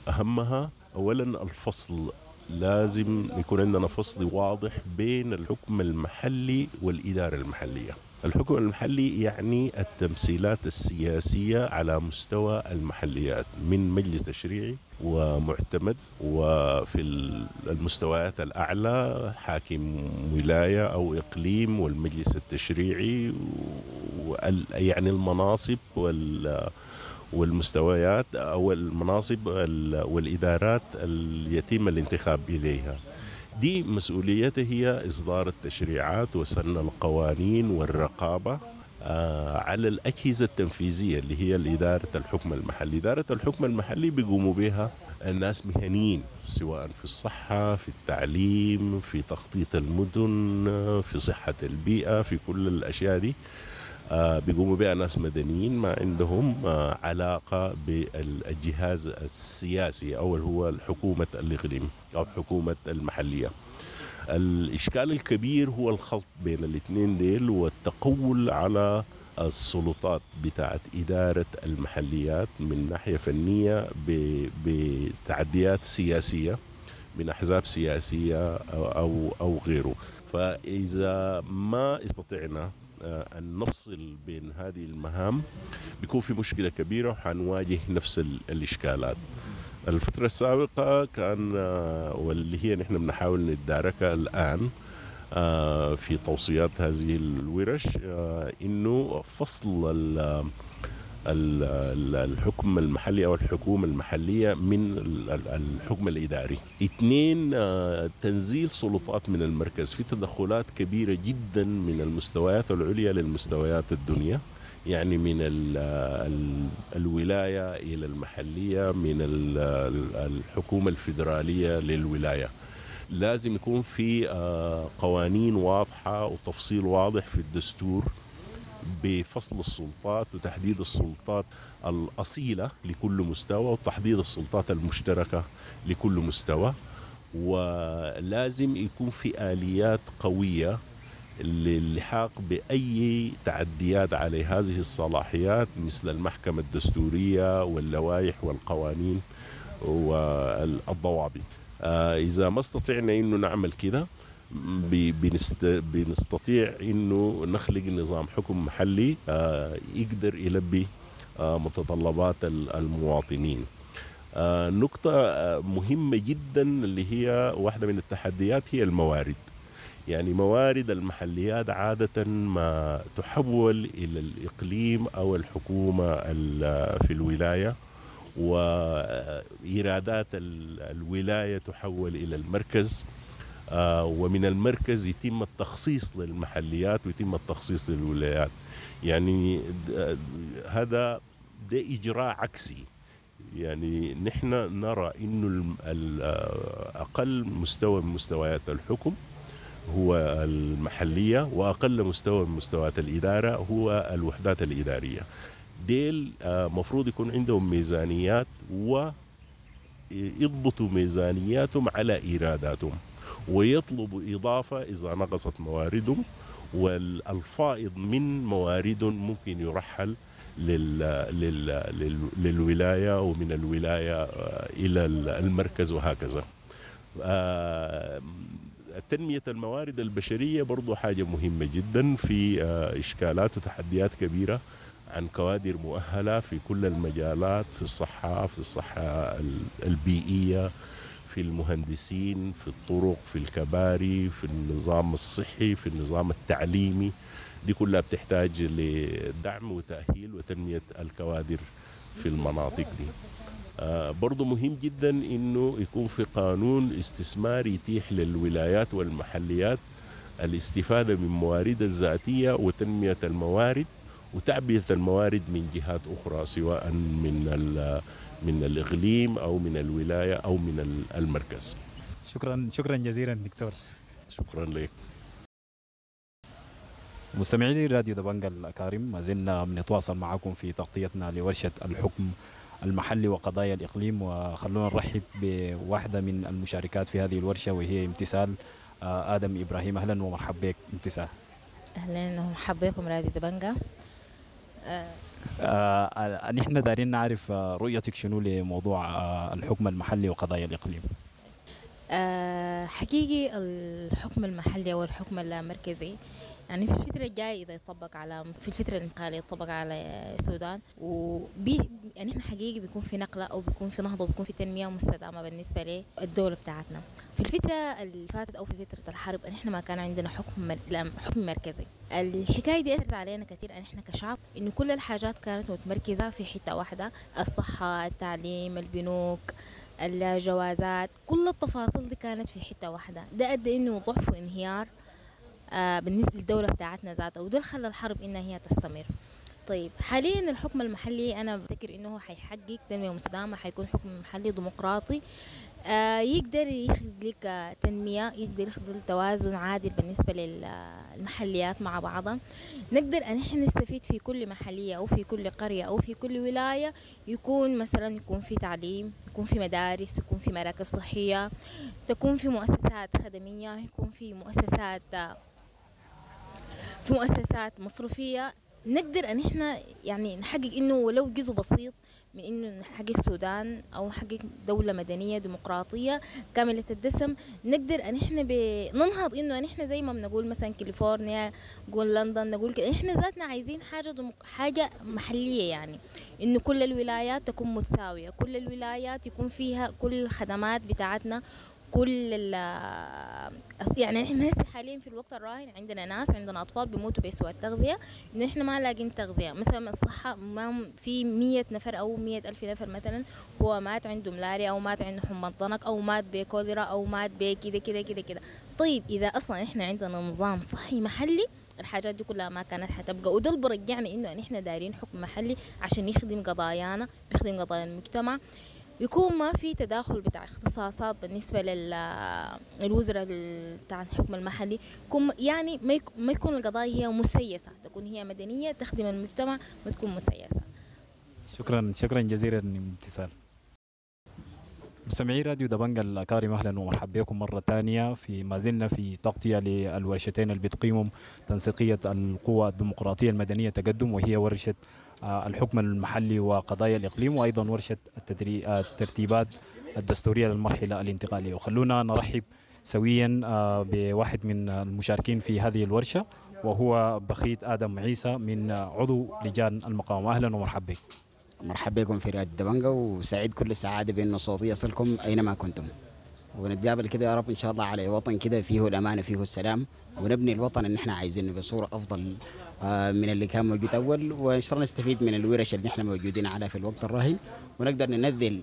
أهمها أولا الفصل. لازم يكون عندنا فصل واضح بين الحكم المحلي والإدارة المحلية. الحكم المحلي يعني التمثيلات السياسية على مستوى المحليات من مجلس تشريعي ومعتمد، وفي المستويات الأعلى حاكم ولاية أو إقليم والمجلس التشريعي، يعني المناصب والمستويات أو المناصب والإدارات اللي يتم الانتخاب إليها. دي مسؤوليته هي إصدار التشريعات وسن القوانين والرقابة على الأجهزة التنفيذية اللي هي الإدارة الحكم المحلي. إدارة الحكم المحلي بيقوموا بها الناس مهنيين، سواء في الصحة، في التعليم، في تخطيط المدن، في صحة البيئة، في كل الأشياء دي بيقوموا بها ناس مدنيين ما عندهم علاقة بالجهاز السياسي أو هو الحكومة الإقليم أو حكومة المحلية. الإشكال الكبير هو الخلط بين الاثنين ديل والتقول على السلطات بتاعت إدارة المحليات من ناحية فنية بتعديات سياسية من أحزاب سياسية أو غيره. فإذا ما استطعنا أن نفصل بين هذه المهام بيكون في مشكلة كبيرة وحنواجه نفس الإشكالات. الفترة السابقة كان واللي هي نحن بنحاول نتداركها الآن في توصيات هذه الورش، إنه فصل الحكم المحلي أو الحكومة المحلية من الحكم الإداري. 2، تنزيل سلطات من المركز. في تدخلات كبيرة جدا من المستويات العليا للمستويات الدنيا، يعني من الولاية إلى المحلية، من الحكومة الفيدرالية للولاية. لازم يكون في قوانين واضحة وتفصيل واضح في الدستور بفصل السلطات وتحديد السلطات الأصيلة لكل مستوى وتحديد السلطات المشتركة لكل مستوى. ولازم يكون في آليات قوية للحاق بأي تعديات على هذه الصلاحيات، مثل المحكمة الدستورية واللوائح والقوانين والضوابط. إذا ما استطعنا إنه نعمل كده بنستطيع إنه نخلق نظام حكم محلي يقدر يلبي متطلبات المواطنين. نقطة مهمة جدا اللي هي واحدة من التحديات هي الموارد. يعني موارد المحليات عادة ما تحول إلى الإقليم أو الحكومة في الولاية، وإيرادات الولاية تحول إلى المركز، ومن المركز يتم التخصيص للمحليات ويتم التخصيص للولايات. يعني هذا ده إجراء عكسي. يعني نحن نرى إنه أقل مستوى من مستويات الحكم هو المحلية، وأقل مستوى من مستويات الإدارة هو الوحدات الإدارية. ديل مفروض يكون عندهم ميزانيات ويضبطوا ميزانياتهم على إيراداتهم، ويطلبوا إضافة إذا نقصت مواردهم، والفائض من مواردهم ممكن يرحل لل لل لل للولاية ومن الولاية إلى المركز وهكذا. تنمية الموارد البشرية برضو حاجة مهمة جدا في إشكالات وتحديات كبيرة عن كوادر مؤهلة في كل المجالات، في الصحة، في الصحة البيئية، في المهندسين، في الطرق، في الكباري، في النظام الصحي، في النظام التعليمي. دي كلها بتحتاج لدعم وتأهيل وتنمية الكوادر في المناطق دي. برضو مهم جدا انه يكون في قانون استثماري يتيح للولايات والمحليات الاستفادة من مواردها الذاتية وتنمية الموارد وتعبئة الموارد من جهات أخرى، سواء من الإقليم أو من الولاية أو من المركز. شكرا، شكرا جزيلا دكتور. شكرا لك. مستمعي راديو دبنجا الأكارم، ما زلنا بنتواصل معكم في تغطيتنا لورشة الحكم المحلي وقضايا الإقليم، وخلونا نرحب بواحدة من المشاركات في هذه الورشة وهي امتثال آدم إبراهيم. أهلا ومرحبا بك امتثال. أهلا ومرحبا بكم راديو دبنجا. نحن دارين نعرف رؤيتك شنو لموضوع الحكم المحلي وقضايا الإقليم. حقيقي الحكم المحلي أو الحكم اللامركزي يعني في الفترة الجاية إذا يطبق على في الفترة الانتقالية يطبق على السودان وبي يعني إحنا حقيقي بيكون في نقلة أو بيكون في نهضة وبيكون في تنمية مستدامة بالنسبة للدولة بتاعتنا. في الفترة اللي فاتت أو في فترة الحرب إحنا ما كان عندنا حكم حكم مركزي. الحكاية دي أثرت علينا كثير إحنا كشعب، إنه كل الحاجات كانت متمركزة في حتة واحدة، الصحة، التعليم، البنوك، الجوازات، كل التفاصيل دي كانت في حتة واحدة. ده أدى إنه ضعف وانهيار بالنسبة للدولة بتاعتنا ذاتها، وده اللي خلى الحرب إنها هي تستمر. طيب حاليا الحكم المحلي أنا بفتكر إنه حيحقق تنمية مستدامة، حيكون حكم محلي ديمقراطي يقدر يخلق تنمية، يقدر يخلق توازن عادل بالنسبة للمحليات مع بعضها. نقدر أن احنا نستفيد في كل محلية أو في كل قرية أو في كل ولاية، يكون مثلا يكون في تعليم، يكون في مدارس، يكون في مراكز صحية، تكون في مؤسسات خدمية، يكون في مؤسسات مصرفية. نقدر أن احنا يعني نحقق إنه ولو جزء بسيط من إنه نحقق سودان أو نحقق دولة مدنية ديمقراطية كاملة الدسم. نقدر أن احنا ننهض إنه أن احنا زي ما بنقول مثلا كاليفورنيا، نقول لندن، نقول كده، احنا ذاتنا عايزين حاجة محلية، يعني إنه كل الولايات تكون متساوية، كل الولايات يكون فيها كل الخدمات بتاعتنا، كل يعني احنا هسه حاليا في الوقت الراهن عندنا ناس، عندنا اطفال بيموتوا بسوء التغذيه، انه احنا ما لاقين تغذيه. مثلا الصحه، ما في 100 نفر او 100,000 نفر مثلا هو مات عنده ملاريا او مات عنده حمى الضنك او مات بكوليرا او مات بكده كده كده كده. طيب اذا اصلا احنا عندنا نظام صحي محلي الحاجات دي كلها ما كانت حتبقى. وده اللي برجعنا انه احنا دايرين حكم محلي عشان يخدم قضايانا، بيخدم قضايا المجتمع، يكون ما في تداخل بتاع اختصاصات بالنسبة للوزراء بتاع الحكم المحلي، يكون يعني ما يكون القضايا هي مسيسة، تكون هي مدنية تخدم المجتمع ما تكون مسيسة. شكرا، شكرا جزيلا امتثال. مستمعي راديو دبنجا الأكارم، أهلا ومرحبا بكم مرة ثانية. في ما زلنا في تغطية للورشتين اللي بتقيمهم تنسيقية القوى الديمقراطية المدنية تقدم، وهي ورشة الحكم المحلي وقضايا الإقليم، وأيضا ورشة الترتيبات الدستورية للمرحلة الانتقالية. وخلونا نرحب سويا بواحد من المشاركين في هذه الورشة، وهو بخيت آدم عيسى من عضو لجان المقاومة. أهلا ومرحبا بك. مرحبا بكم في راديو دبنجا، وسعيد كل السعادة بأن صوتي يصلكم أينما كنتم، ونتقابل كده يا رب إن شاء الله على وطن كده فيه الأمان فيه السلام، ونبني الوطن اللي احنا عايزينه بصورة أفضل من اللي كان موجود أول، وإن شاء الله نستفيد من الورش اللي احنا موجودين عليها في الوقت الراهن، ونقدر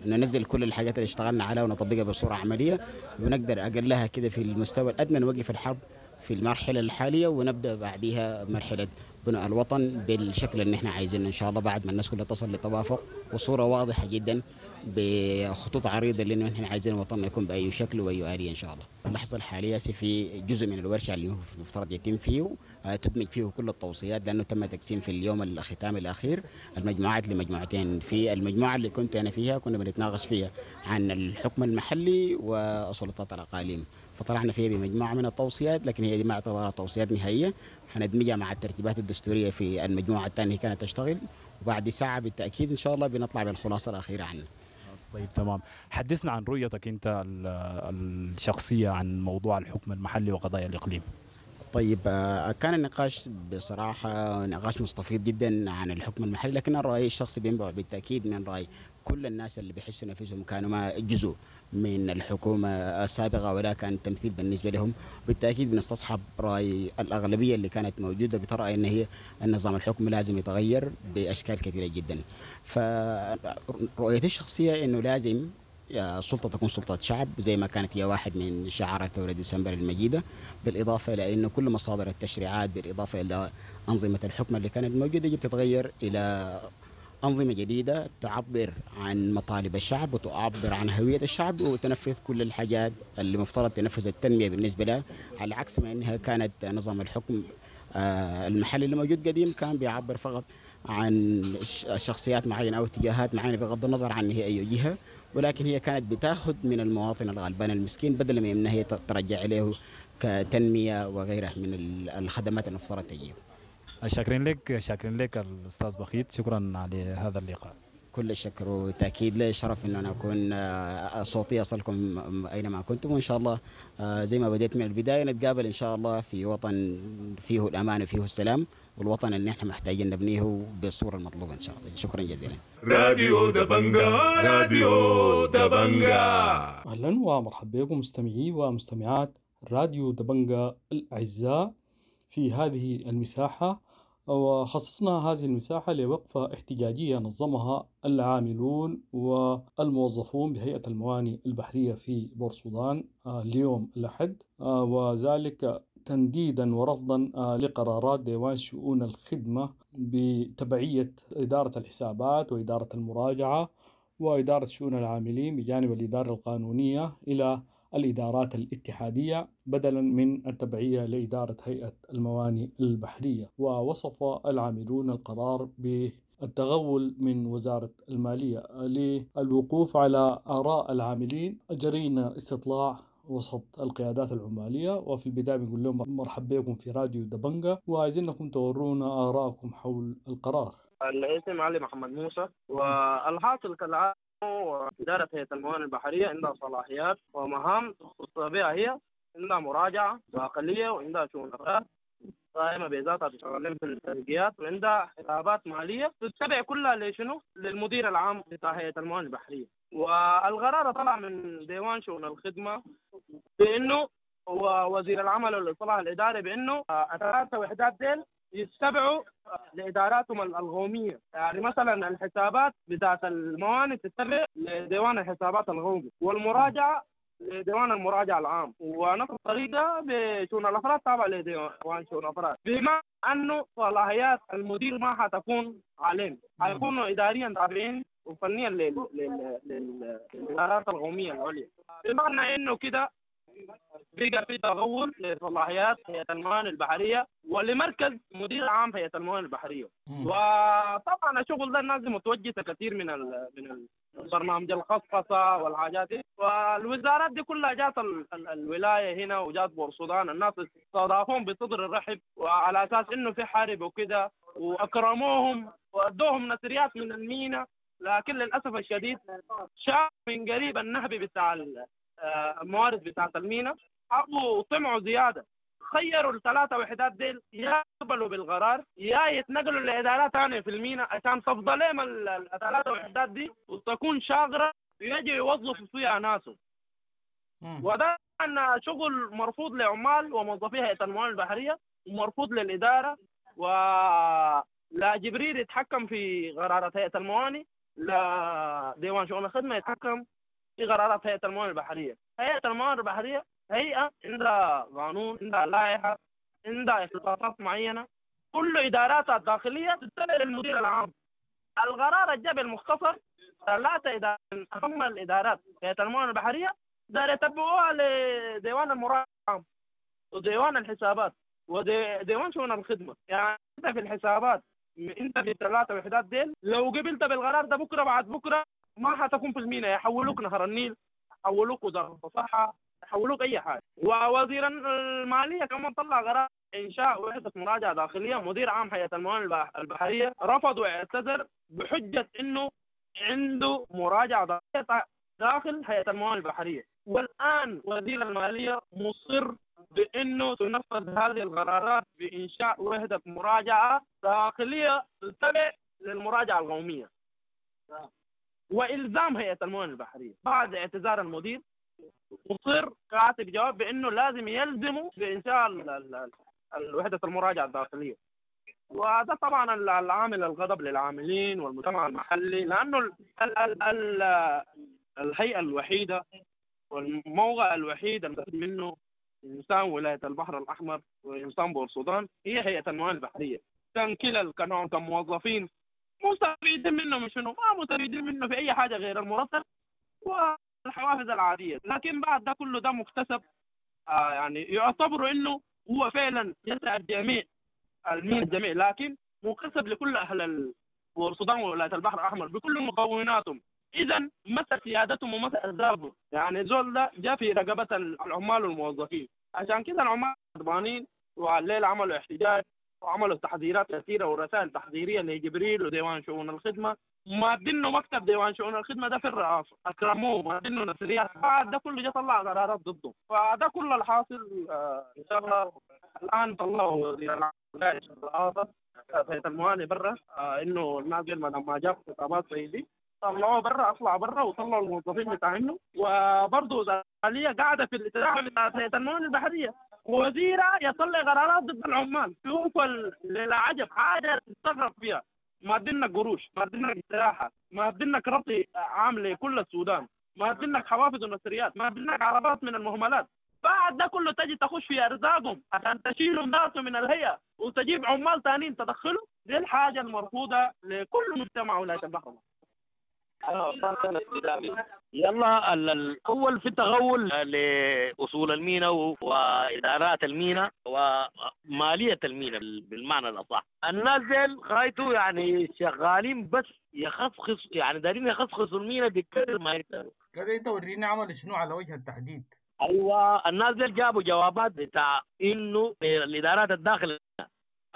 ننزل كل الحاجات اللي اشتغلنا عليها ونطبقها بصورة عملية، ونقدر أقلها كده في المستوى الأدنى نوقف الحرب في المرحلة الحالية، ونبدأ بعديها مرحلة بناء الوطن بالشكل اللي احنا عايزينه ان شاء الله، بعد ما الناس كلها تصل لتوافق وصورة واضحة جدا بخطوط عريضة اللي احنا عايزين وطننا يكون بأي شكل وأي آلية ان شاء الله. اللحظة الحالية في جزء من الورشة اللي هو المفترض يتم فيه تدمج فيه كل التوصيات، لأنه تم تقسيم في اليوم الختام الأخير المجموعات لمجموعتين. في المجموعة اللي كنت أنا فيها كنا بنتناقش فيها عن الحكم المحلي وسلطات الأقاليم، فطلعنا فيها بمجموعة من التوصيات، لكن هي دي ما اعتبرها توصيات نهائية، هندمجها مع الترتيبات الدستورية في المجموعة الثانية كانت تشتغل، وبعد ساعة بالتأكيد إن شاء الله بنطلع بالخلاصة الأخيرة عنه. طيب تمام، حدثنا عن رؤيتك أنت الشخصية عن موضوع الحكم المحلي وقضايا الإقليم. طيب، كان النقاش بصراحة نقاش مستفيض جدا عن الحكم المحلي، لكن الرأي الشخصي بينبع بالتأكيد من رأي كل الناس اللي بيحسوا نفسهم كانوا ما جزء من الحكومة السابقة ولا كان تمثيل بالنسبة لهم. بالتأكيد بنستصحب رأي الأغلبية اللي كانت موجودة بترى أن هي النظام الحكم لازم يتغير بأشكال كثيرة جدا. فرؤيتي الشخصية أنه لازم السلطة تكون سلطة شعب زي ما كانت هي واحد من شعارات ثورة ديسمبر المجيدة، بالإضافة إلى أنه كل مصادر التشريعات بالإضافة إلى أنظمة الحكم اللي كانت موجودة يجب تتغير إلى أنظمة جديدة تعبر عن مطالب الشعب وتعبر عن هوية الشعب وتنفذ كل الحاجات اللي مفترض تنفذ التنمية بالنسبة لها، على عكس ما أنها كانت نظام الحكم المحلي اللي موجود قديم كان بيعبر فقط عن شخصيات معينة أو اتجاهات معينة بغض النظر عن هي أي جهة، ولكن هي كانت بتاخذ من المواطن الغلبان المسكين بدل ما أنها هي ترجع إليه كتنمية وغيرها من الخدمات المفترض تجيه. شاكرين لك، شاكرين لك الأستاذ بخيت، شكرا على هذا اللقاء. كل الشكر وتأكيد لي شرف أن أنا أكون صوتي يصلكم أينما كنتم، وإن شاء الله زي ما بديت من البداية نتقابل إن شاء الله في وطن فيه الأمان وفيه السلام، والوطن اللي نحن محتاجين نبنيه بالصورة المطلوبة إن شاء الله. شكرا جزيلا. راديو دبنجا، راديو دبنجا. أهلا ومرحبا بكم مستمعي ومستمعات راديو دبنجا الأعزاء في هذه المساحة، وخصصنا هذه المساحة لوقفة احتجاجية نظمها العاملون والموظفون بهيئة الموانئ البحرية في بورسودان اليوم الأحد، وذلك تنديدا ورفضا لقرارات ديوان شؤون الخدمة بتبعية إدارة الحسابات وإدارة المراجعة وإدارة شؤون العاملين بجانب الإدارة القانونية إلى الإدارات الاتحادية بدلا من التبعية لإدارة هيئة الموانئ البحرية. ووصف العاملون القرار بالتغول من وزارة المالية. للوقوف على آراء العاملين أجرينا استطلاع وسط القيادات العمالية، وفي البداية بنقول لهم مرحبا بكم في راديو دبنجا، وعايزينكم تورونا آراءكم حول القرار. الاسم علي محمد موسى، والحاصل كالعادة وإدارة هيئة الموانئ البحرية عندها صلاحيات ومهام تخص بها هي، عندها مراجعة داخلية وعندها شؤون أفراد قائمة بذاتها بتشتغل في الترقيات، وعندها حسابات مالية تتبع كلها لشنو؟ للمدير العام بتاع هيئة الموانئ البحرية. والقرار طلع من ديوان شؤون الخدمة بأنه ووزير العمل والإصلاح الإداري بأنه الثلاث وحدات ديل يتبعوا لإداراتهم القومية، يعني مثلا الحسابات بتاعت الموانئ تتبع لديوان الحسابات القومي، والمراجعة لديوان المراجعة العام، ونفس الطريقة بشؤون الأفراد تابعة لديوان شؤون الأفراد، بما أنه صلاحيات المدير ما حتكون عليهم، حيكونوا إداريا تابعين وفنيا للإدارات القومية العليا، بمعنى أنه كده بقى في تغول لصلاحيات هيئة الموانئ البحرية ولمركز مدير عام هيئة الموانئ البحرية. وطبعا الشغل ده الناس متوجهة كثير من البرنامج الخصخصة والحاجات دي، والوزارات دي كلها جات الولاية هنا وجات بورسودان، الناس استضافوهم بصدر الرحب وعلى أساس إنه في حرب وكده، وأكرموهم وأدوهم نثريات من المينا، لكن للأسف الشديد شاف من قريب النهب بتاع الموارد بتاعت المينا، حبوا طمعوا زيادة، خيروا الثلاثة وحدات ديل يا يقبلوا بالقرار يا يتنقلوا لإدارات ثانية في المينا عشان تفضل لهم الثلاثة وحدات دي وتكون شاغرة ويجي يوظفوا فيها ناسهم. وده أن شغل مرفوض لعمال وموظفي هيئة الموانئ البحرية ومرفوض للإدارة، ولا جبريل يتحكم في قرارات هيئة الموانئ، لا ديوان شؤون الخدمة يتحكم في قرارات هيئة الموانئ البحرية. هيئة الموانئ البحرية هيئة عندها قانون، عندها لائحة، عندها اختصاصات معينة، كل إداراتها الداخلية تتبع للمدير العام. القرار الجاب المختصر ثلاثة إدارات من أهم الإدارات هيئة الموانئ البحرية دار يتبعوها لديوان المراجعة العام وديوان الحسابات وديوان شؤون الخدمة. يعني أنت في الحسابات، أنت في الثلاثة وحدات ديل لو قبلت بالقرار ده بكرة بعد بكرة ما حتكون في المينا، يحولوك نهر النيل، يحولوك وزارة الصحة، يحولوك اي حاجة. ووزير المالية كمان طلع قرار انشاء وحده مراجعه داخلية، مدير عام هيئة الموانئ البحرية رفض واعتذر بحجة انه عنده مراجعه داخلية داخل هيئة الموانئ البحرية. والان وزير المالية مصر بانه تنفذ هذه القرارات بانشاء وحده مراجعه داخلية تتبع للمراجعة القومية والزام هيئة الموانئ البحرية. بعد اعتذار المدير مصر كاتب جواب بانه لازم يلزموا بانشاء الوحدة المراجعة الداخلية. وده طبعا العامل الغضب للعاملين والمجتمع المحلي، لانه ال ال ال الهيئة الوحيدة والموقع الوحيد المستفيد منه انسان ولاية البحر الاحمر وانسان بورسودان هي هيئة الموانئ البحرية. كان كلا كانوا كموظفين مستفيدين منه من شنو؟ ما مستفيدين منه في اي حاجة غير المرتب والحوافز العادية، لكن بعد ده كله ده مكتسب، يعني يعتبروا انه هو فعلا يسعى الجميع الجميع، لكن مكتسب لكل اهل بورسودان وولاية البحر الاحمر بكل مكوناتهم. اذا متى سيادتهم ومتى اسبابهم؟ يعني زول ده جاء في رقبة العمال والموظفين، عشان كده العمال غضبانين، والليل عملوا احتجاج وعملوا تحذيرات كثيرة ورسائل تحذيريه لجبريل وديوان شؤون الخدمة، مادينه مكتب ديوان شؤون الخدمة ده في الرئاسة، اكرموه مادينه نسريات، بعد ده كله جه طلع قرارات ضده. فده كل الحاصل. ان شاء الله الان طلعوا الرئاسة هيئة الموانئ برا، انه الناس ما جاب خطابات زي دي طلعوه برا، اطلع برا، وطلعوا الموظفين بتاعينه. وبرضه المالية قاعدة في الاتجاه بتاع هيئة الموانئ البحرية، وزيره يطلع قرارات ضد العمال. شوف العجب، حاجة تستغرب فيها. ما ادينك قروش، ما ادينك استراحة، ما ادينك ربط عام لكل السودان، ما ادينك حوافز ونسريات، ما ادينك عربات من المهملات. بعد ده كله تجي تخش في ارزاقهم عشان تشيلهم ناسهم من الهيئة وتجيب عمال ثانيين تدخلوا. دي الحاجة المرفوضه لكل مجتمع ولاية البحر. يلا الاول في التغول لاصول المينا وادارات المينا وماليه المينا بالمعنى الاصح. الناس ديل غايته يعني شغالين بس يخصخص، يعني دارين يخصخصوا المينا بكل ما يقدروا. كده انت وريني عمل شنو على وجه التحديد. ايوه الناس ديل جابوا جوابات بتاع انه الادارات الداخلية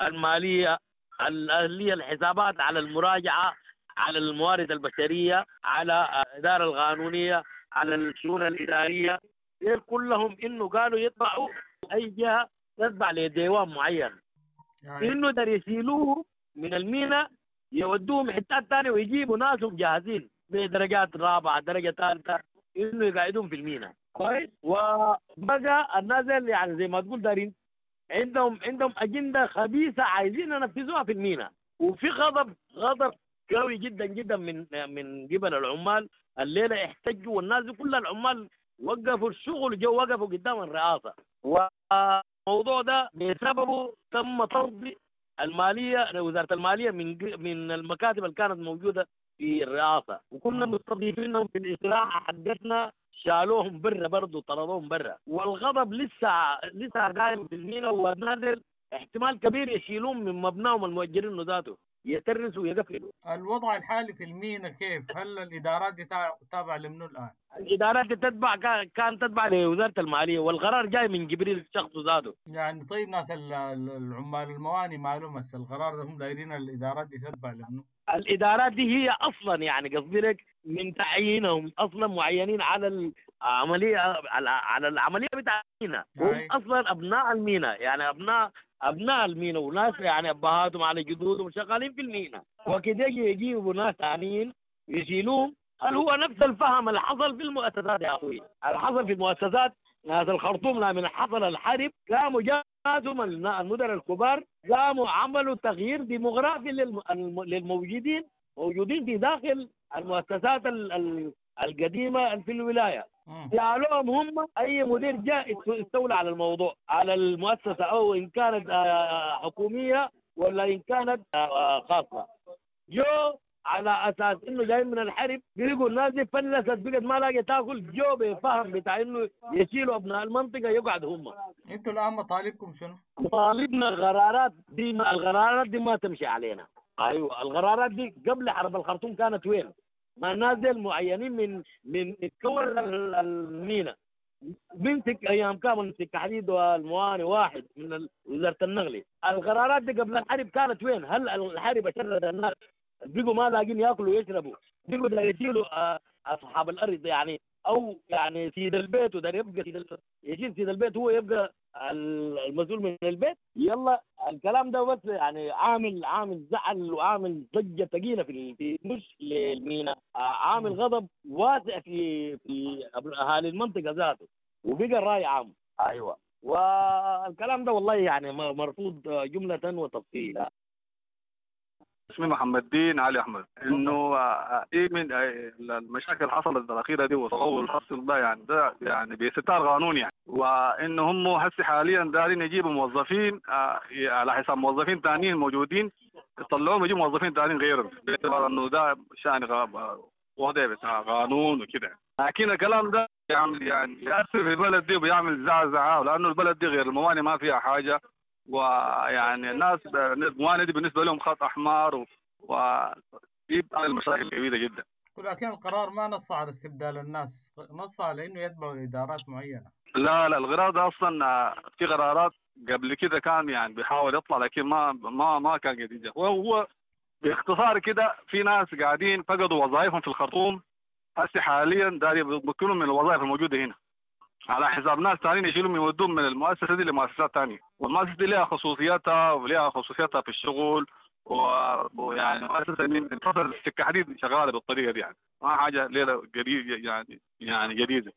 المالية الاهلية الحسابات على المراجعة على الموارد البشرية على الادارة القانونية على الشؤون الادارية، ديل كلهم انه قالوا يتبعوا اي جهة تتبع لديوان معين، يعني انه دار يشيلوه من المينا يودوهم حتات ثانية ويجيبوا ناسهم جاهزين بدرجات رابعه درجه ثالثة انه يقعدوهم في المينا. كويس. وبقى الناس يعني زي ما تقول دارين عندهم اجندة خبيثة عايزين ينفذوها في المينا. وفي غضب قوي جدا جدا من قبل العمال. الليلة احتجوا والناس كل العمال وقفوا الشغل، جو وقفوا قدام الرئاسة. والموضوع ده بسببه تم طرد المالية، وزارة المالية من المكاتب اللي كانت موجودة في الرئاسة، وكنا مستضيفينهم في الاستراحة حقتنا، شالوهم برا برضه طردوهم برا. والغضب لسه قايم في المينا، والنازل احتمال كبير يشيلوهم من مبناهم المؤجرين ذاته، يترسوا ويقفلوا. الوضع الحالي في المينا كيف؟ هل الادارات دي تابعه لمنو الان؟ الادارات دي تتبع كان تتبع لوزارة المالية، والقرار جاي من جبريل الشخص ذاته. يعني طيب ناس العمال المواني معلوم هسه القرار ده هم دايرين الادارات دي تتبع لمنو؟ الادارات دي هي اصلا يعني قصدي لك من تعيينهم اصلا معينين على العملية على العملية بتاع المينا، هم اصلا ابناء المينا، يعني ابناء المينا وناس يعني ابهاتهم على جدودهم شغالين في المينا، وكده يجيبوا ناس ثانيين يشيلوهم. هل هو نفس الفهم اللي حصل في المؤسسات يا اخوي؟ اللي حصل في المؤسسات ناس الخرطوم لما حصل الحرب قاموا جازوا المدراء الكبار، قاموا عملوا تغيير ديموغرافي للموجودين موجودين في داخل المؤسسات القديمة في الولاية. جعلوهم هم اي مدير جاء استولى على الموضوع على المؤسسة، او ان كانت حكومية ولا ان كانت خاصة. جو على اساس انه جاي من الحرب بيقول الناس دي فلست بقت ما لاقيه تاكل، جو بفهم بتاع انه يشيلوا ابناء المنطقة يقعدوا هم. انتوا الان مطالبكم شنو؟ مطالبنا القرارات دي، القرارات دي ما تمشي علينا. ايوه القرارات دي قبل حرب الخرطوم كانت وين؟ ما الناس دي المعينين من تكون المينا بنسك ايام كامل سكة حديد والمواني واحد من وزارة النقل. القرارات دي قبل الحرب كانت وين؟ هل الحرب شرد الناس؟ بقوا ما لاقين ياكلوا ويشربوا، بقوا داير يشيلوا اصحاب الارض يعني، او يعني سيد البيت، وداير يبقى سيد يشيل سيد البيت هو يبقى المسؤول من البيت. يلا الكلام ده بس يعني عامل زعل وعامل ضجه ثقيلة في مش للمينا، عامل غضب واسع في اهالي المنطقة ذاته، وبقى الراي عام. ايوه، والكلام ده والله يعني مرفوض جملة وتفصيلا. اسمي محمد دين علي احمد. انه ايه من المشاكل اللي حصلت الاخيرة دي والتطور اللي حصل ده، يعني ده يعني بستار قانون يعني، وانه هم هسه حاليا دارين يجيبوا موظفين على حساب موظفين ثانيين موجودين، يطلعوهم يجيبوا موظفين ثانيين غيرهم، باعتبار انه ده شان وضع بتاع قانون وكده. لكن الكلام ده يعمل يعني يأثر في البلد دي وبيعمل زعزعة، لانه البلد دي غير المواني ما فيها حاجة، ويعني الناس الموانئ دي بالنسبة لهم خط احمر، وبيبقى المشاكل كبيرة جدا. ولكن القرار ما نص على استبدال الناس، نص على انه يتبعوا ادارات معينة. لا لا، القرار ده اصلا في قرارات قبل كده كان يعني بيحاول يطلع، لكن ما كان جديد. وهو باختصار كده في ناس قاعدين فقدوا وظائفهم في الخرطوم، هسه حاليا داري بيمكنوا من الوظائف الموجودة هنا على حساب ناس ثانيين يشيلهم يودوهم من المؤسسة دي لمؤسسات ثانية، والمؤسسة دي لها خصوصياتها ولها خصوصياتها في الشغل، ويعني مؤسسة من فترة السكة حديد شغالة بالطريقة دي، يعني ما حاجة ليلة جديدة يعني جديدة.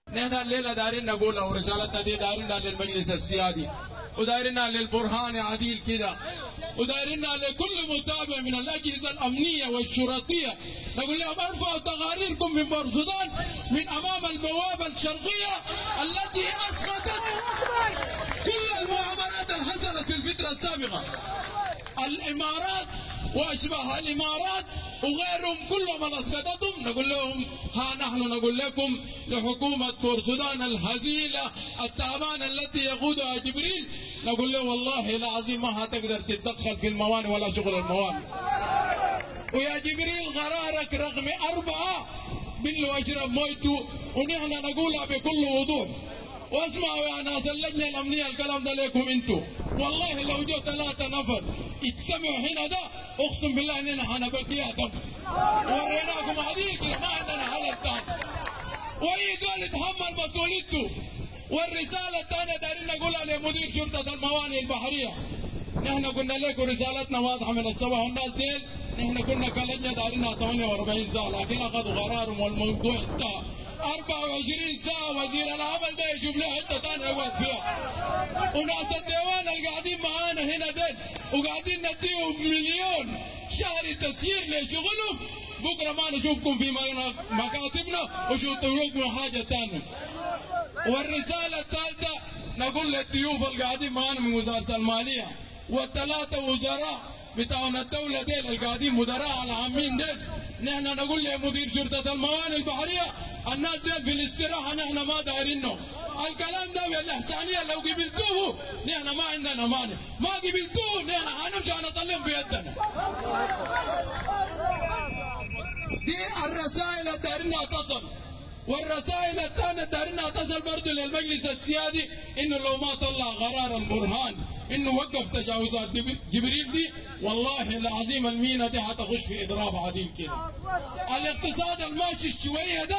نحن الليلة دارين نقول او رسالتنا دي دارينها للمجلس السيادي، ودارينها للبرهان عديل كده، ودارينها لكل متابع من الاجهزة الامنية والشرطيه، نقول لهم ارفعوا تقاريركم من بورسودان من امام البوابة الشرقية التي اسقطت كل المعاملات اللي حصلت في الفترة السابقة. الامارات واشباه الامارات وغيرهم كلهم اللي اسقطتهم، نقول لهم ها نحن نقول لكم لحكومة بورسودان الهزيله التعبانة التي يقودها جبريل، نقول له والله العظيم ما هتقدر تتدخل في الموانئ ولا شغل الموانئ. ويا جبريل قرارك رقم 4 بالله اشرب مويته، ونحن نقولها بكل وضوح. واسمعوا يا ناس اللجنة الامنية الكلام ده لكم انتم، والله لو جو 3 نفر اجتمعوا هنا ده اقسم بالله اننا حنبكيها دم، وريناكم عديل كده، ما عندنا حل ثاني. واي زول يتحمل مسؤوليته. والرسالة الثانية دايرين نقولها لمدير شرطه الموانئ البحرية، نحن قلنا لكم رسالتنا واضحة من الصباح، والناس ديل نحن كنا كلجنه دايرينها 48 ساعة، لكن اخذوا قرارهم والموضوع انتهى. 24 ساعة وزير العمل ده يشوف له حتة ثانية يقعد فيها. وناس الديوان اللي قاعدين معانا هنا ديل وقاعدين نديهم مليون شهري تسيير لشغلهم، بكره ما نشوفكم في مكاتبنا وشوفوا لكم حاجة ثانية. والرسالة الثالثة نقول للضيوف اللي قاعدين معانا من وزارة المالية والثلاثة وزراء بتاعنا الدولة ديل اللي قاعدين مدراء العامين ديل، نحن نقول لمدير شرطة الموانئ البحرية الناس ديل في الاستراحة نحن ما دايرينهم. الكلام ده بالإحسانية لو قبلتوه نحن ما عندنا مانع، ما قبلتوه نحن حنمشي حنطلعهم بيدنا. دي الرسائل اللي دايرينها تصل. والرسائل الثانية دايرينها تصل برضه للمجلس السيادي، انه لو ما طلع قرار البرهان انه وقف تجاوزات جبريل دي، والله العظيم المينا دي حتخش في اضراب عديل كده. الاقتصاد الماشي شوية ده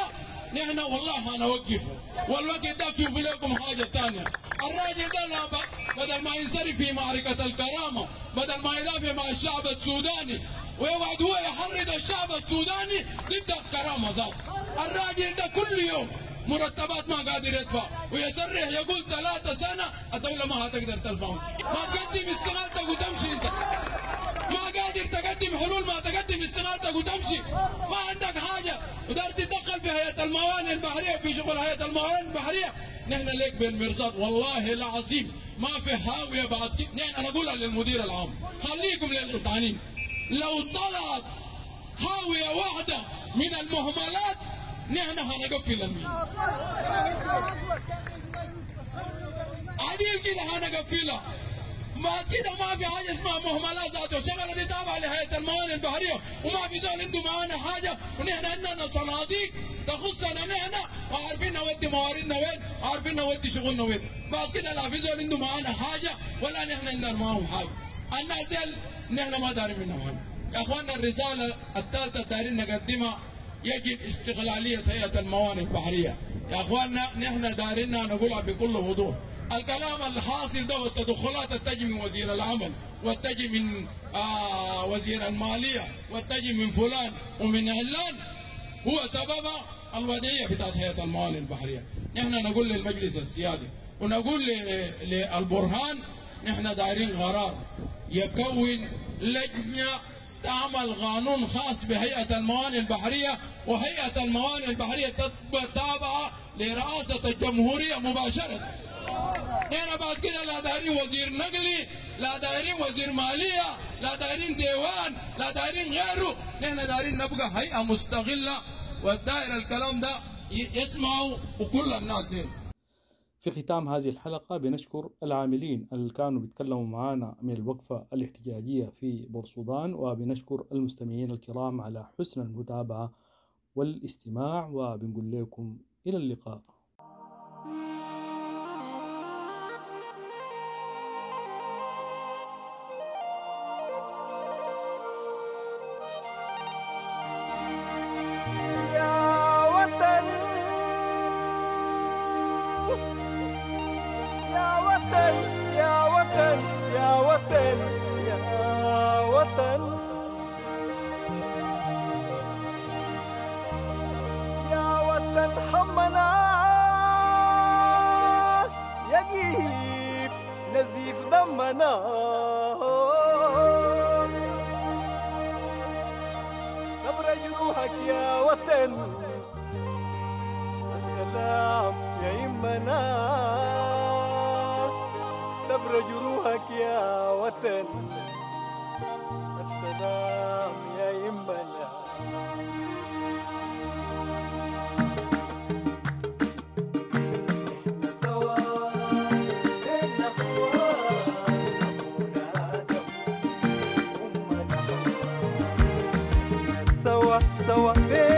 نحن والله حنوقفه، والوقت ده شوفوا لكم حاجة ثانية. الراجل ده لا بدل ما ينصرف في معركة الكرامة، بدل ما يدافع مع الشعب السوداني ويقعد هو يحرض الشعب السوداني ضد الكرامة ذات. الراجل ده كل يوم مرتبات ما قادر يدفع، ويصرح يقول 3 سنة الدولة ما هتقدر تدفع. ما تقدم استقالتك وتمشي انت، ما قادر تقدم حلول، ما تقدم استقالتك وتمشي، ما عندك حاجة ودار تتدخل في هيئة الموانئ البحرية في شغل هيئة الموانئ البحرية. نحن لك بالمرصاد والله العظيم ما في حاوية بعد كده. نحن نقولها للمدير العام، خليكم للقطانين، لو طلعت حاوية واحدة من المهملات نحن هنقفل المينا عديل كده، هنقفلها. ما كده ما في حاجة اسمها مهملات ذاته، الشغلة دي تابعه لهيئة الموانئ البحرية وما في زول عنده معانا حاجة، ونحن عندنا صناديق تخصنا نحن. وعارفين نودي مواردنا وين، عارفين نودي شغلنا وين. بعد كده لا في زول عنده معانا حاجة ولا نحن عندنا معاهم حاجة. الناس ديل نحن ما دارين منهم حاجة. يا اخواننا الرسالة الثالثة دارين نقدمها، يجب استقلالية هيئة الموانئ البحرية. يا اخواننا نحن دارين نقولها بكل وضوح، الكلام الحاصل ده والتدخلات التجي من وزير العمل والتجي من وزير المالية والتجي من فلان ومن علان هو سبب الوضعية بتاعت هيئة الموانئ البحرية. نحن نقول للمجلس السيادي ونقول للبرهان نحن دايرين قرار يكون لجنة تعمل قانون خاص بهيئة الموانئ البحرية، وهيئة الموانئ البحرية تبقى تابعة لرئاسة الجمهورية مباشرة. نحن بعد كده لا دايرين وزير نقلي، لا دايرين وزير مالية، لا دايرين ديوان، لا دايرين غيره. نحن دايرين نبقى هيئة مستقلة، والدائرة الكلام ده يسمعوا وكل الناس دي. في ختام هذه الحلقة بنشكر العاملين اللي كانوا بيتكلموا معانا من الوقفة الاحتجاجية في بورسودان، وبنشكر المستمعين الكرام على حسن المتابعة والاستماع، وبنقول لكم إلى اللقاء. يا وطن يا وطن يا وطن يا وطن يا وطن يا وطن حمنا يجيف نزيف دمنا تبرى جروحك يا وطن السلام يا يمنا تبرى جروحك يا وطن السلام يا يمنا. إحنا سوا إحنا أخوان، أبونا آدم أمنا حواء. إحنا سوا سوا.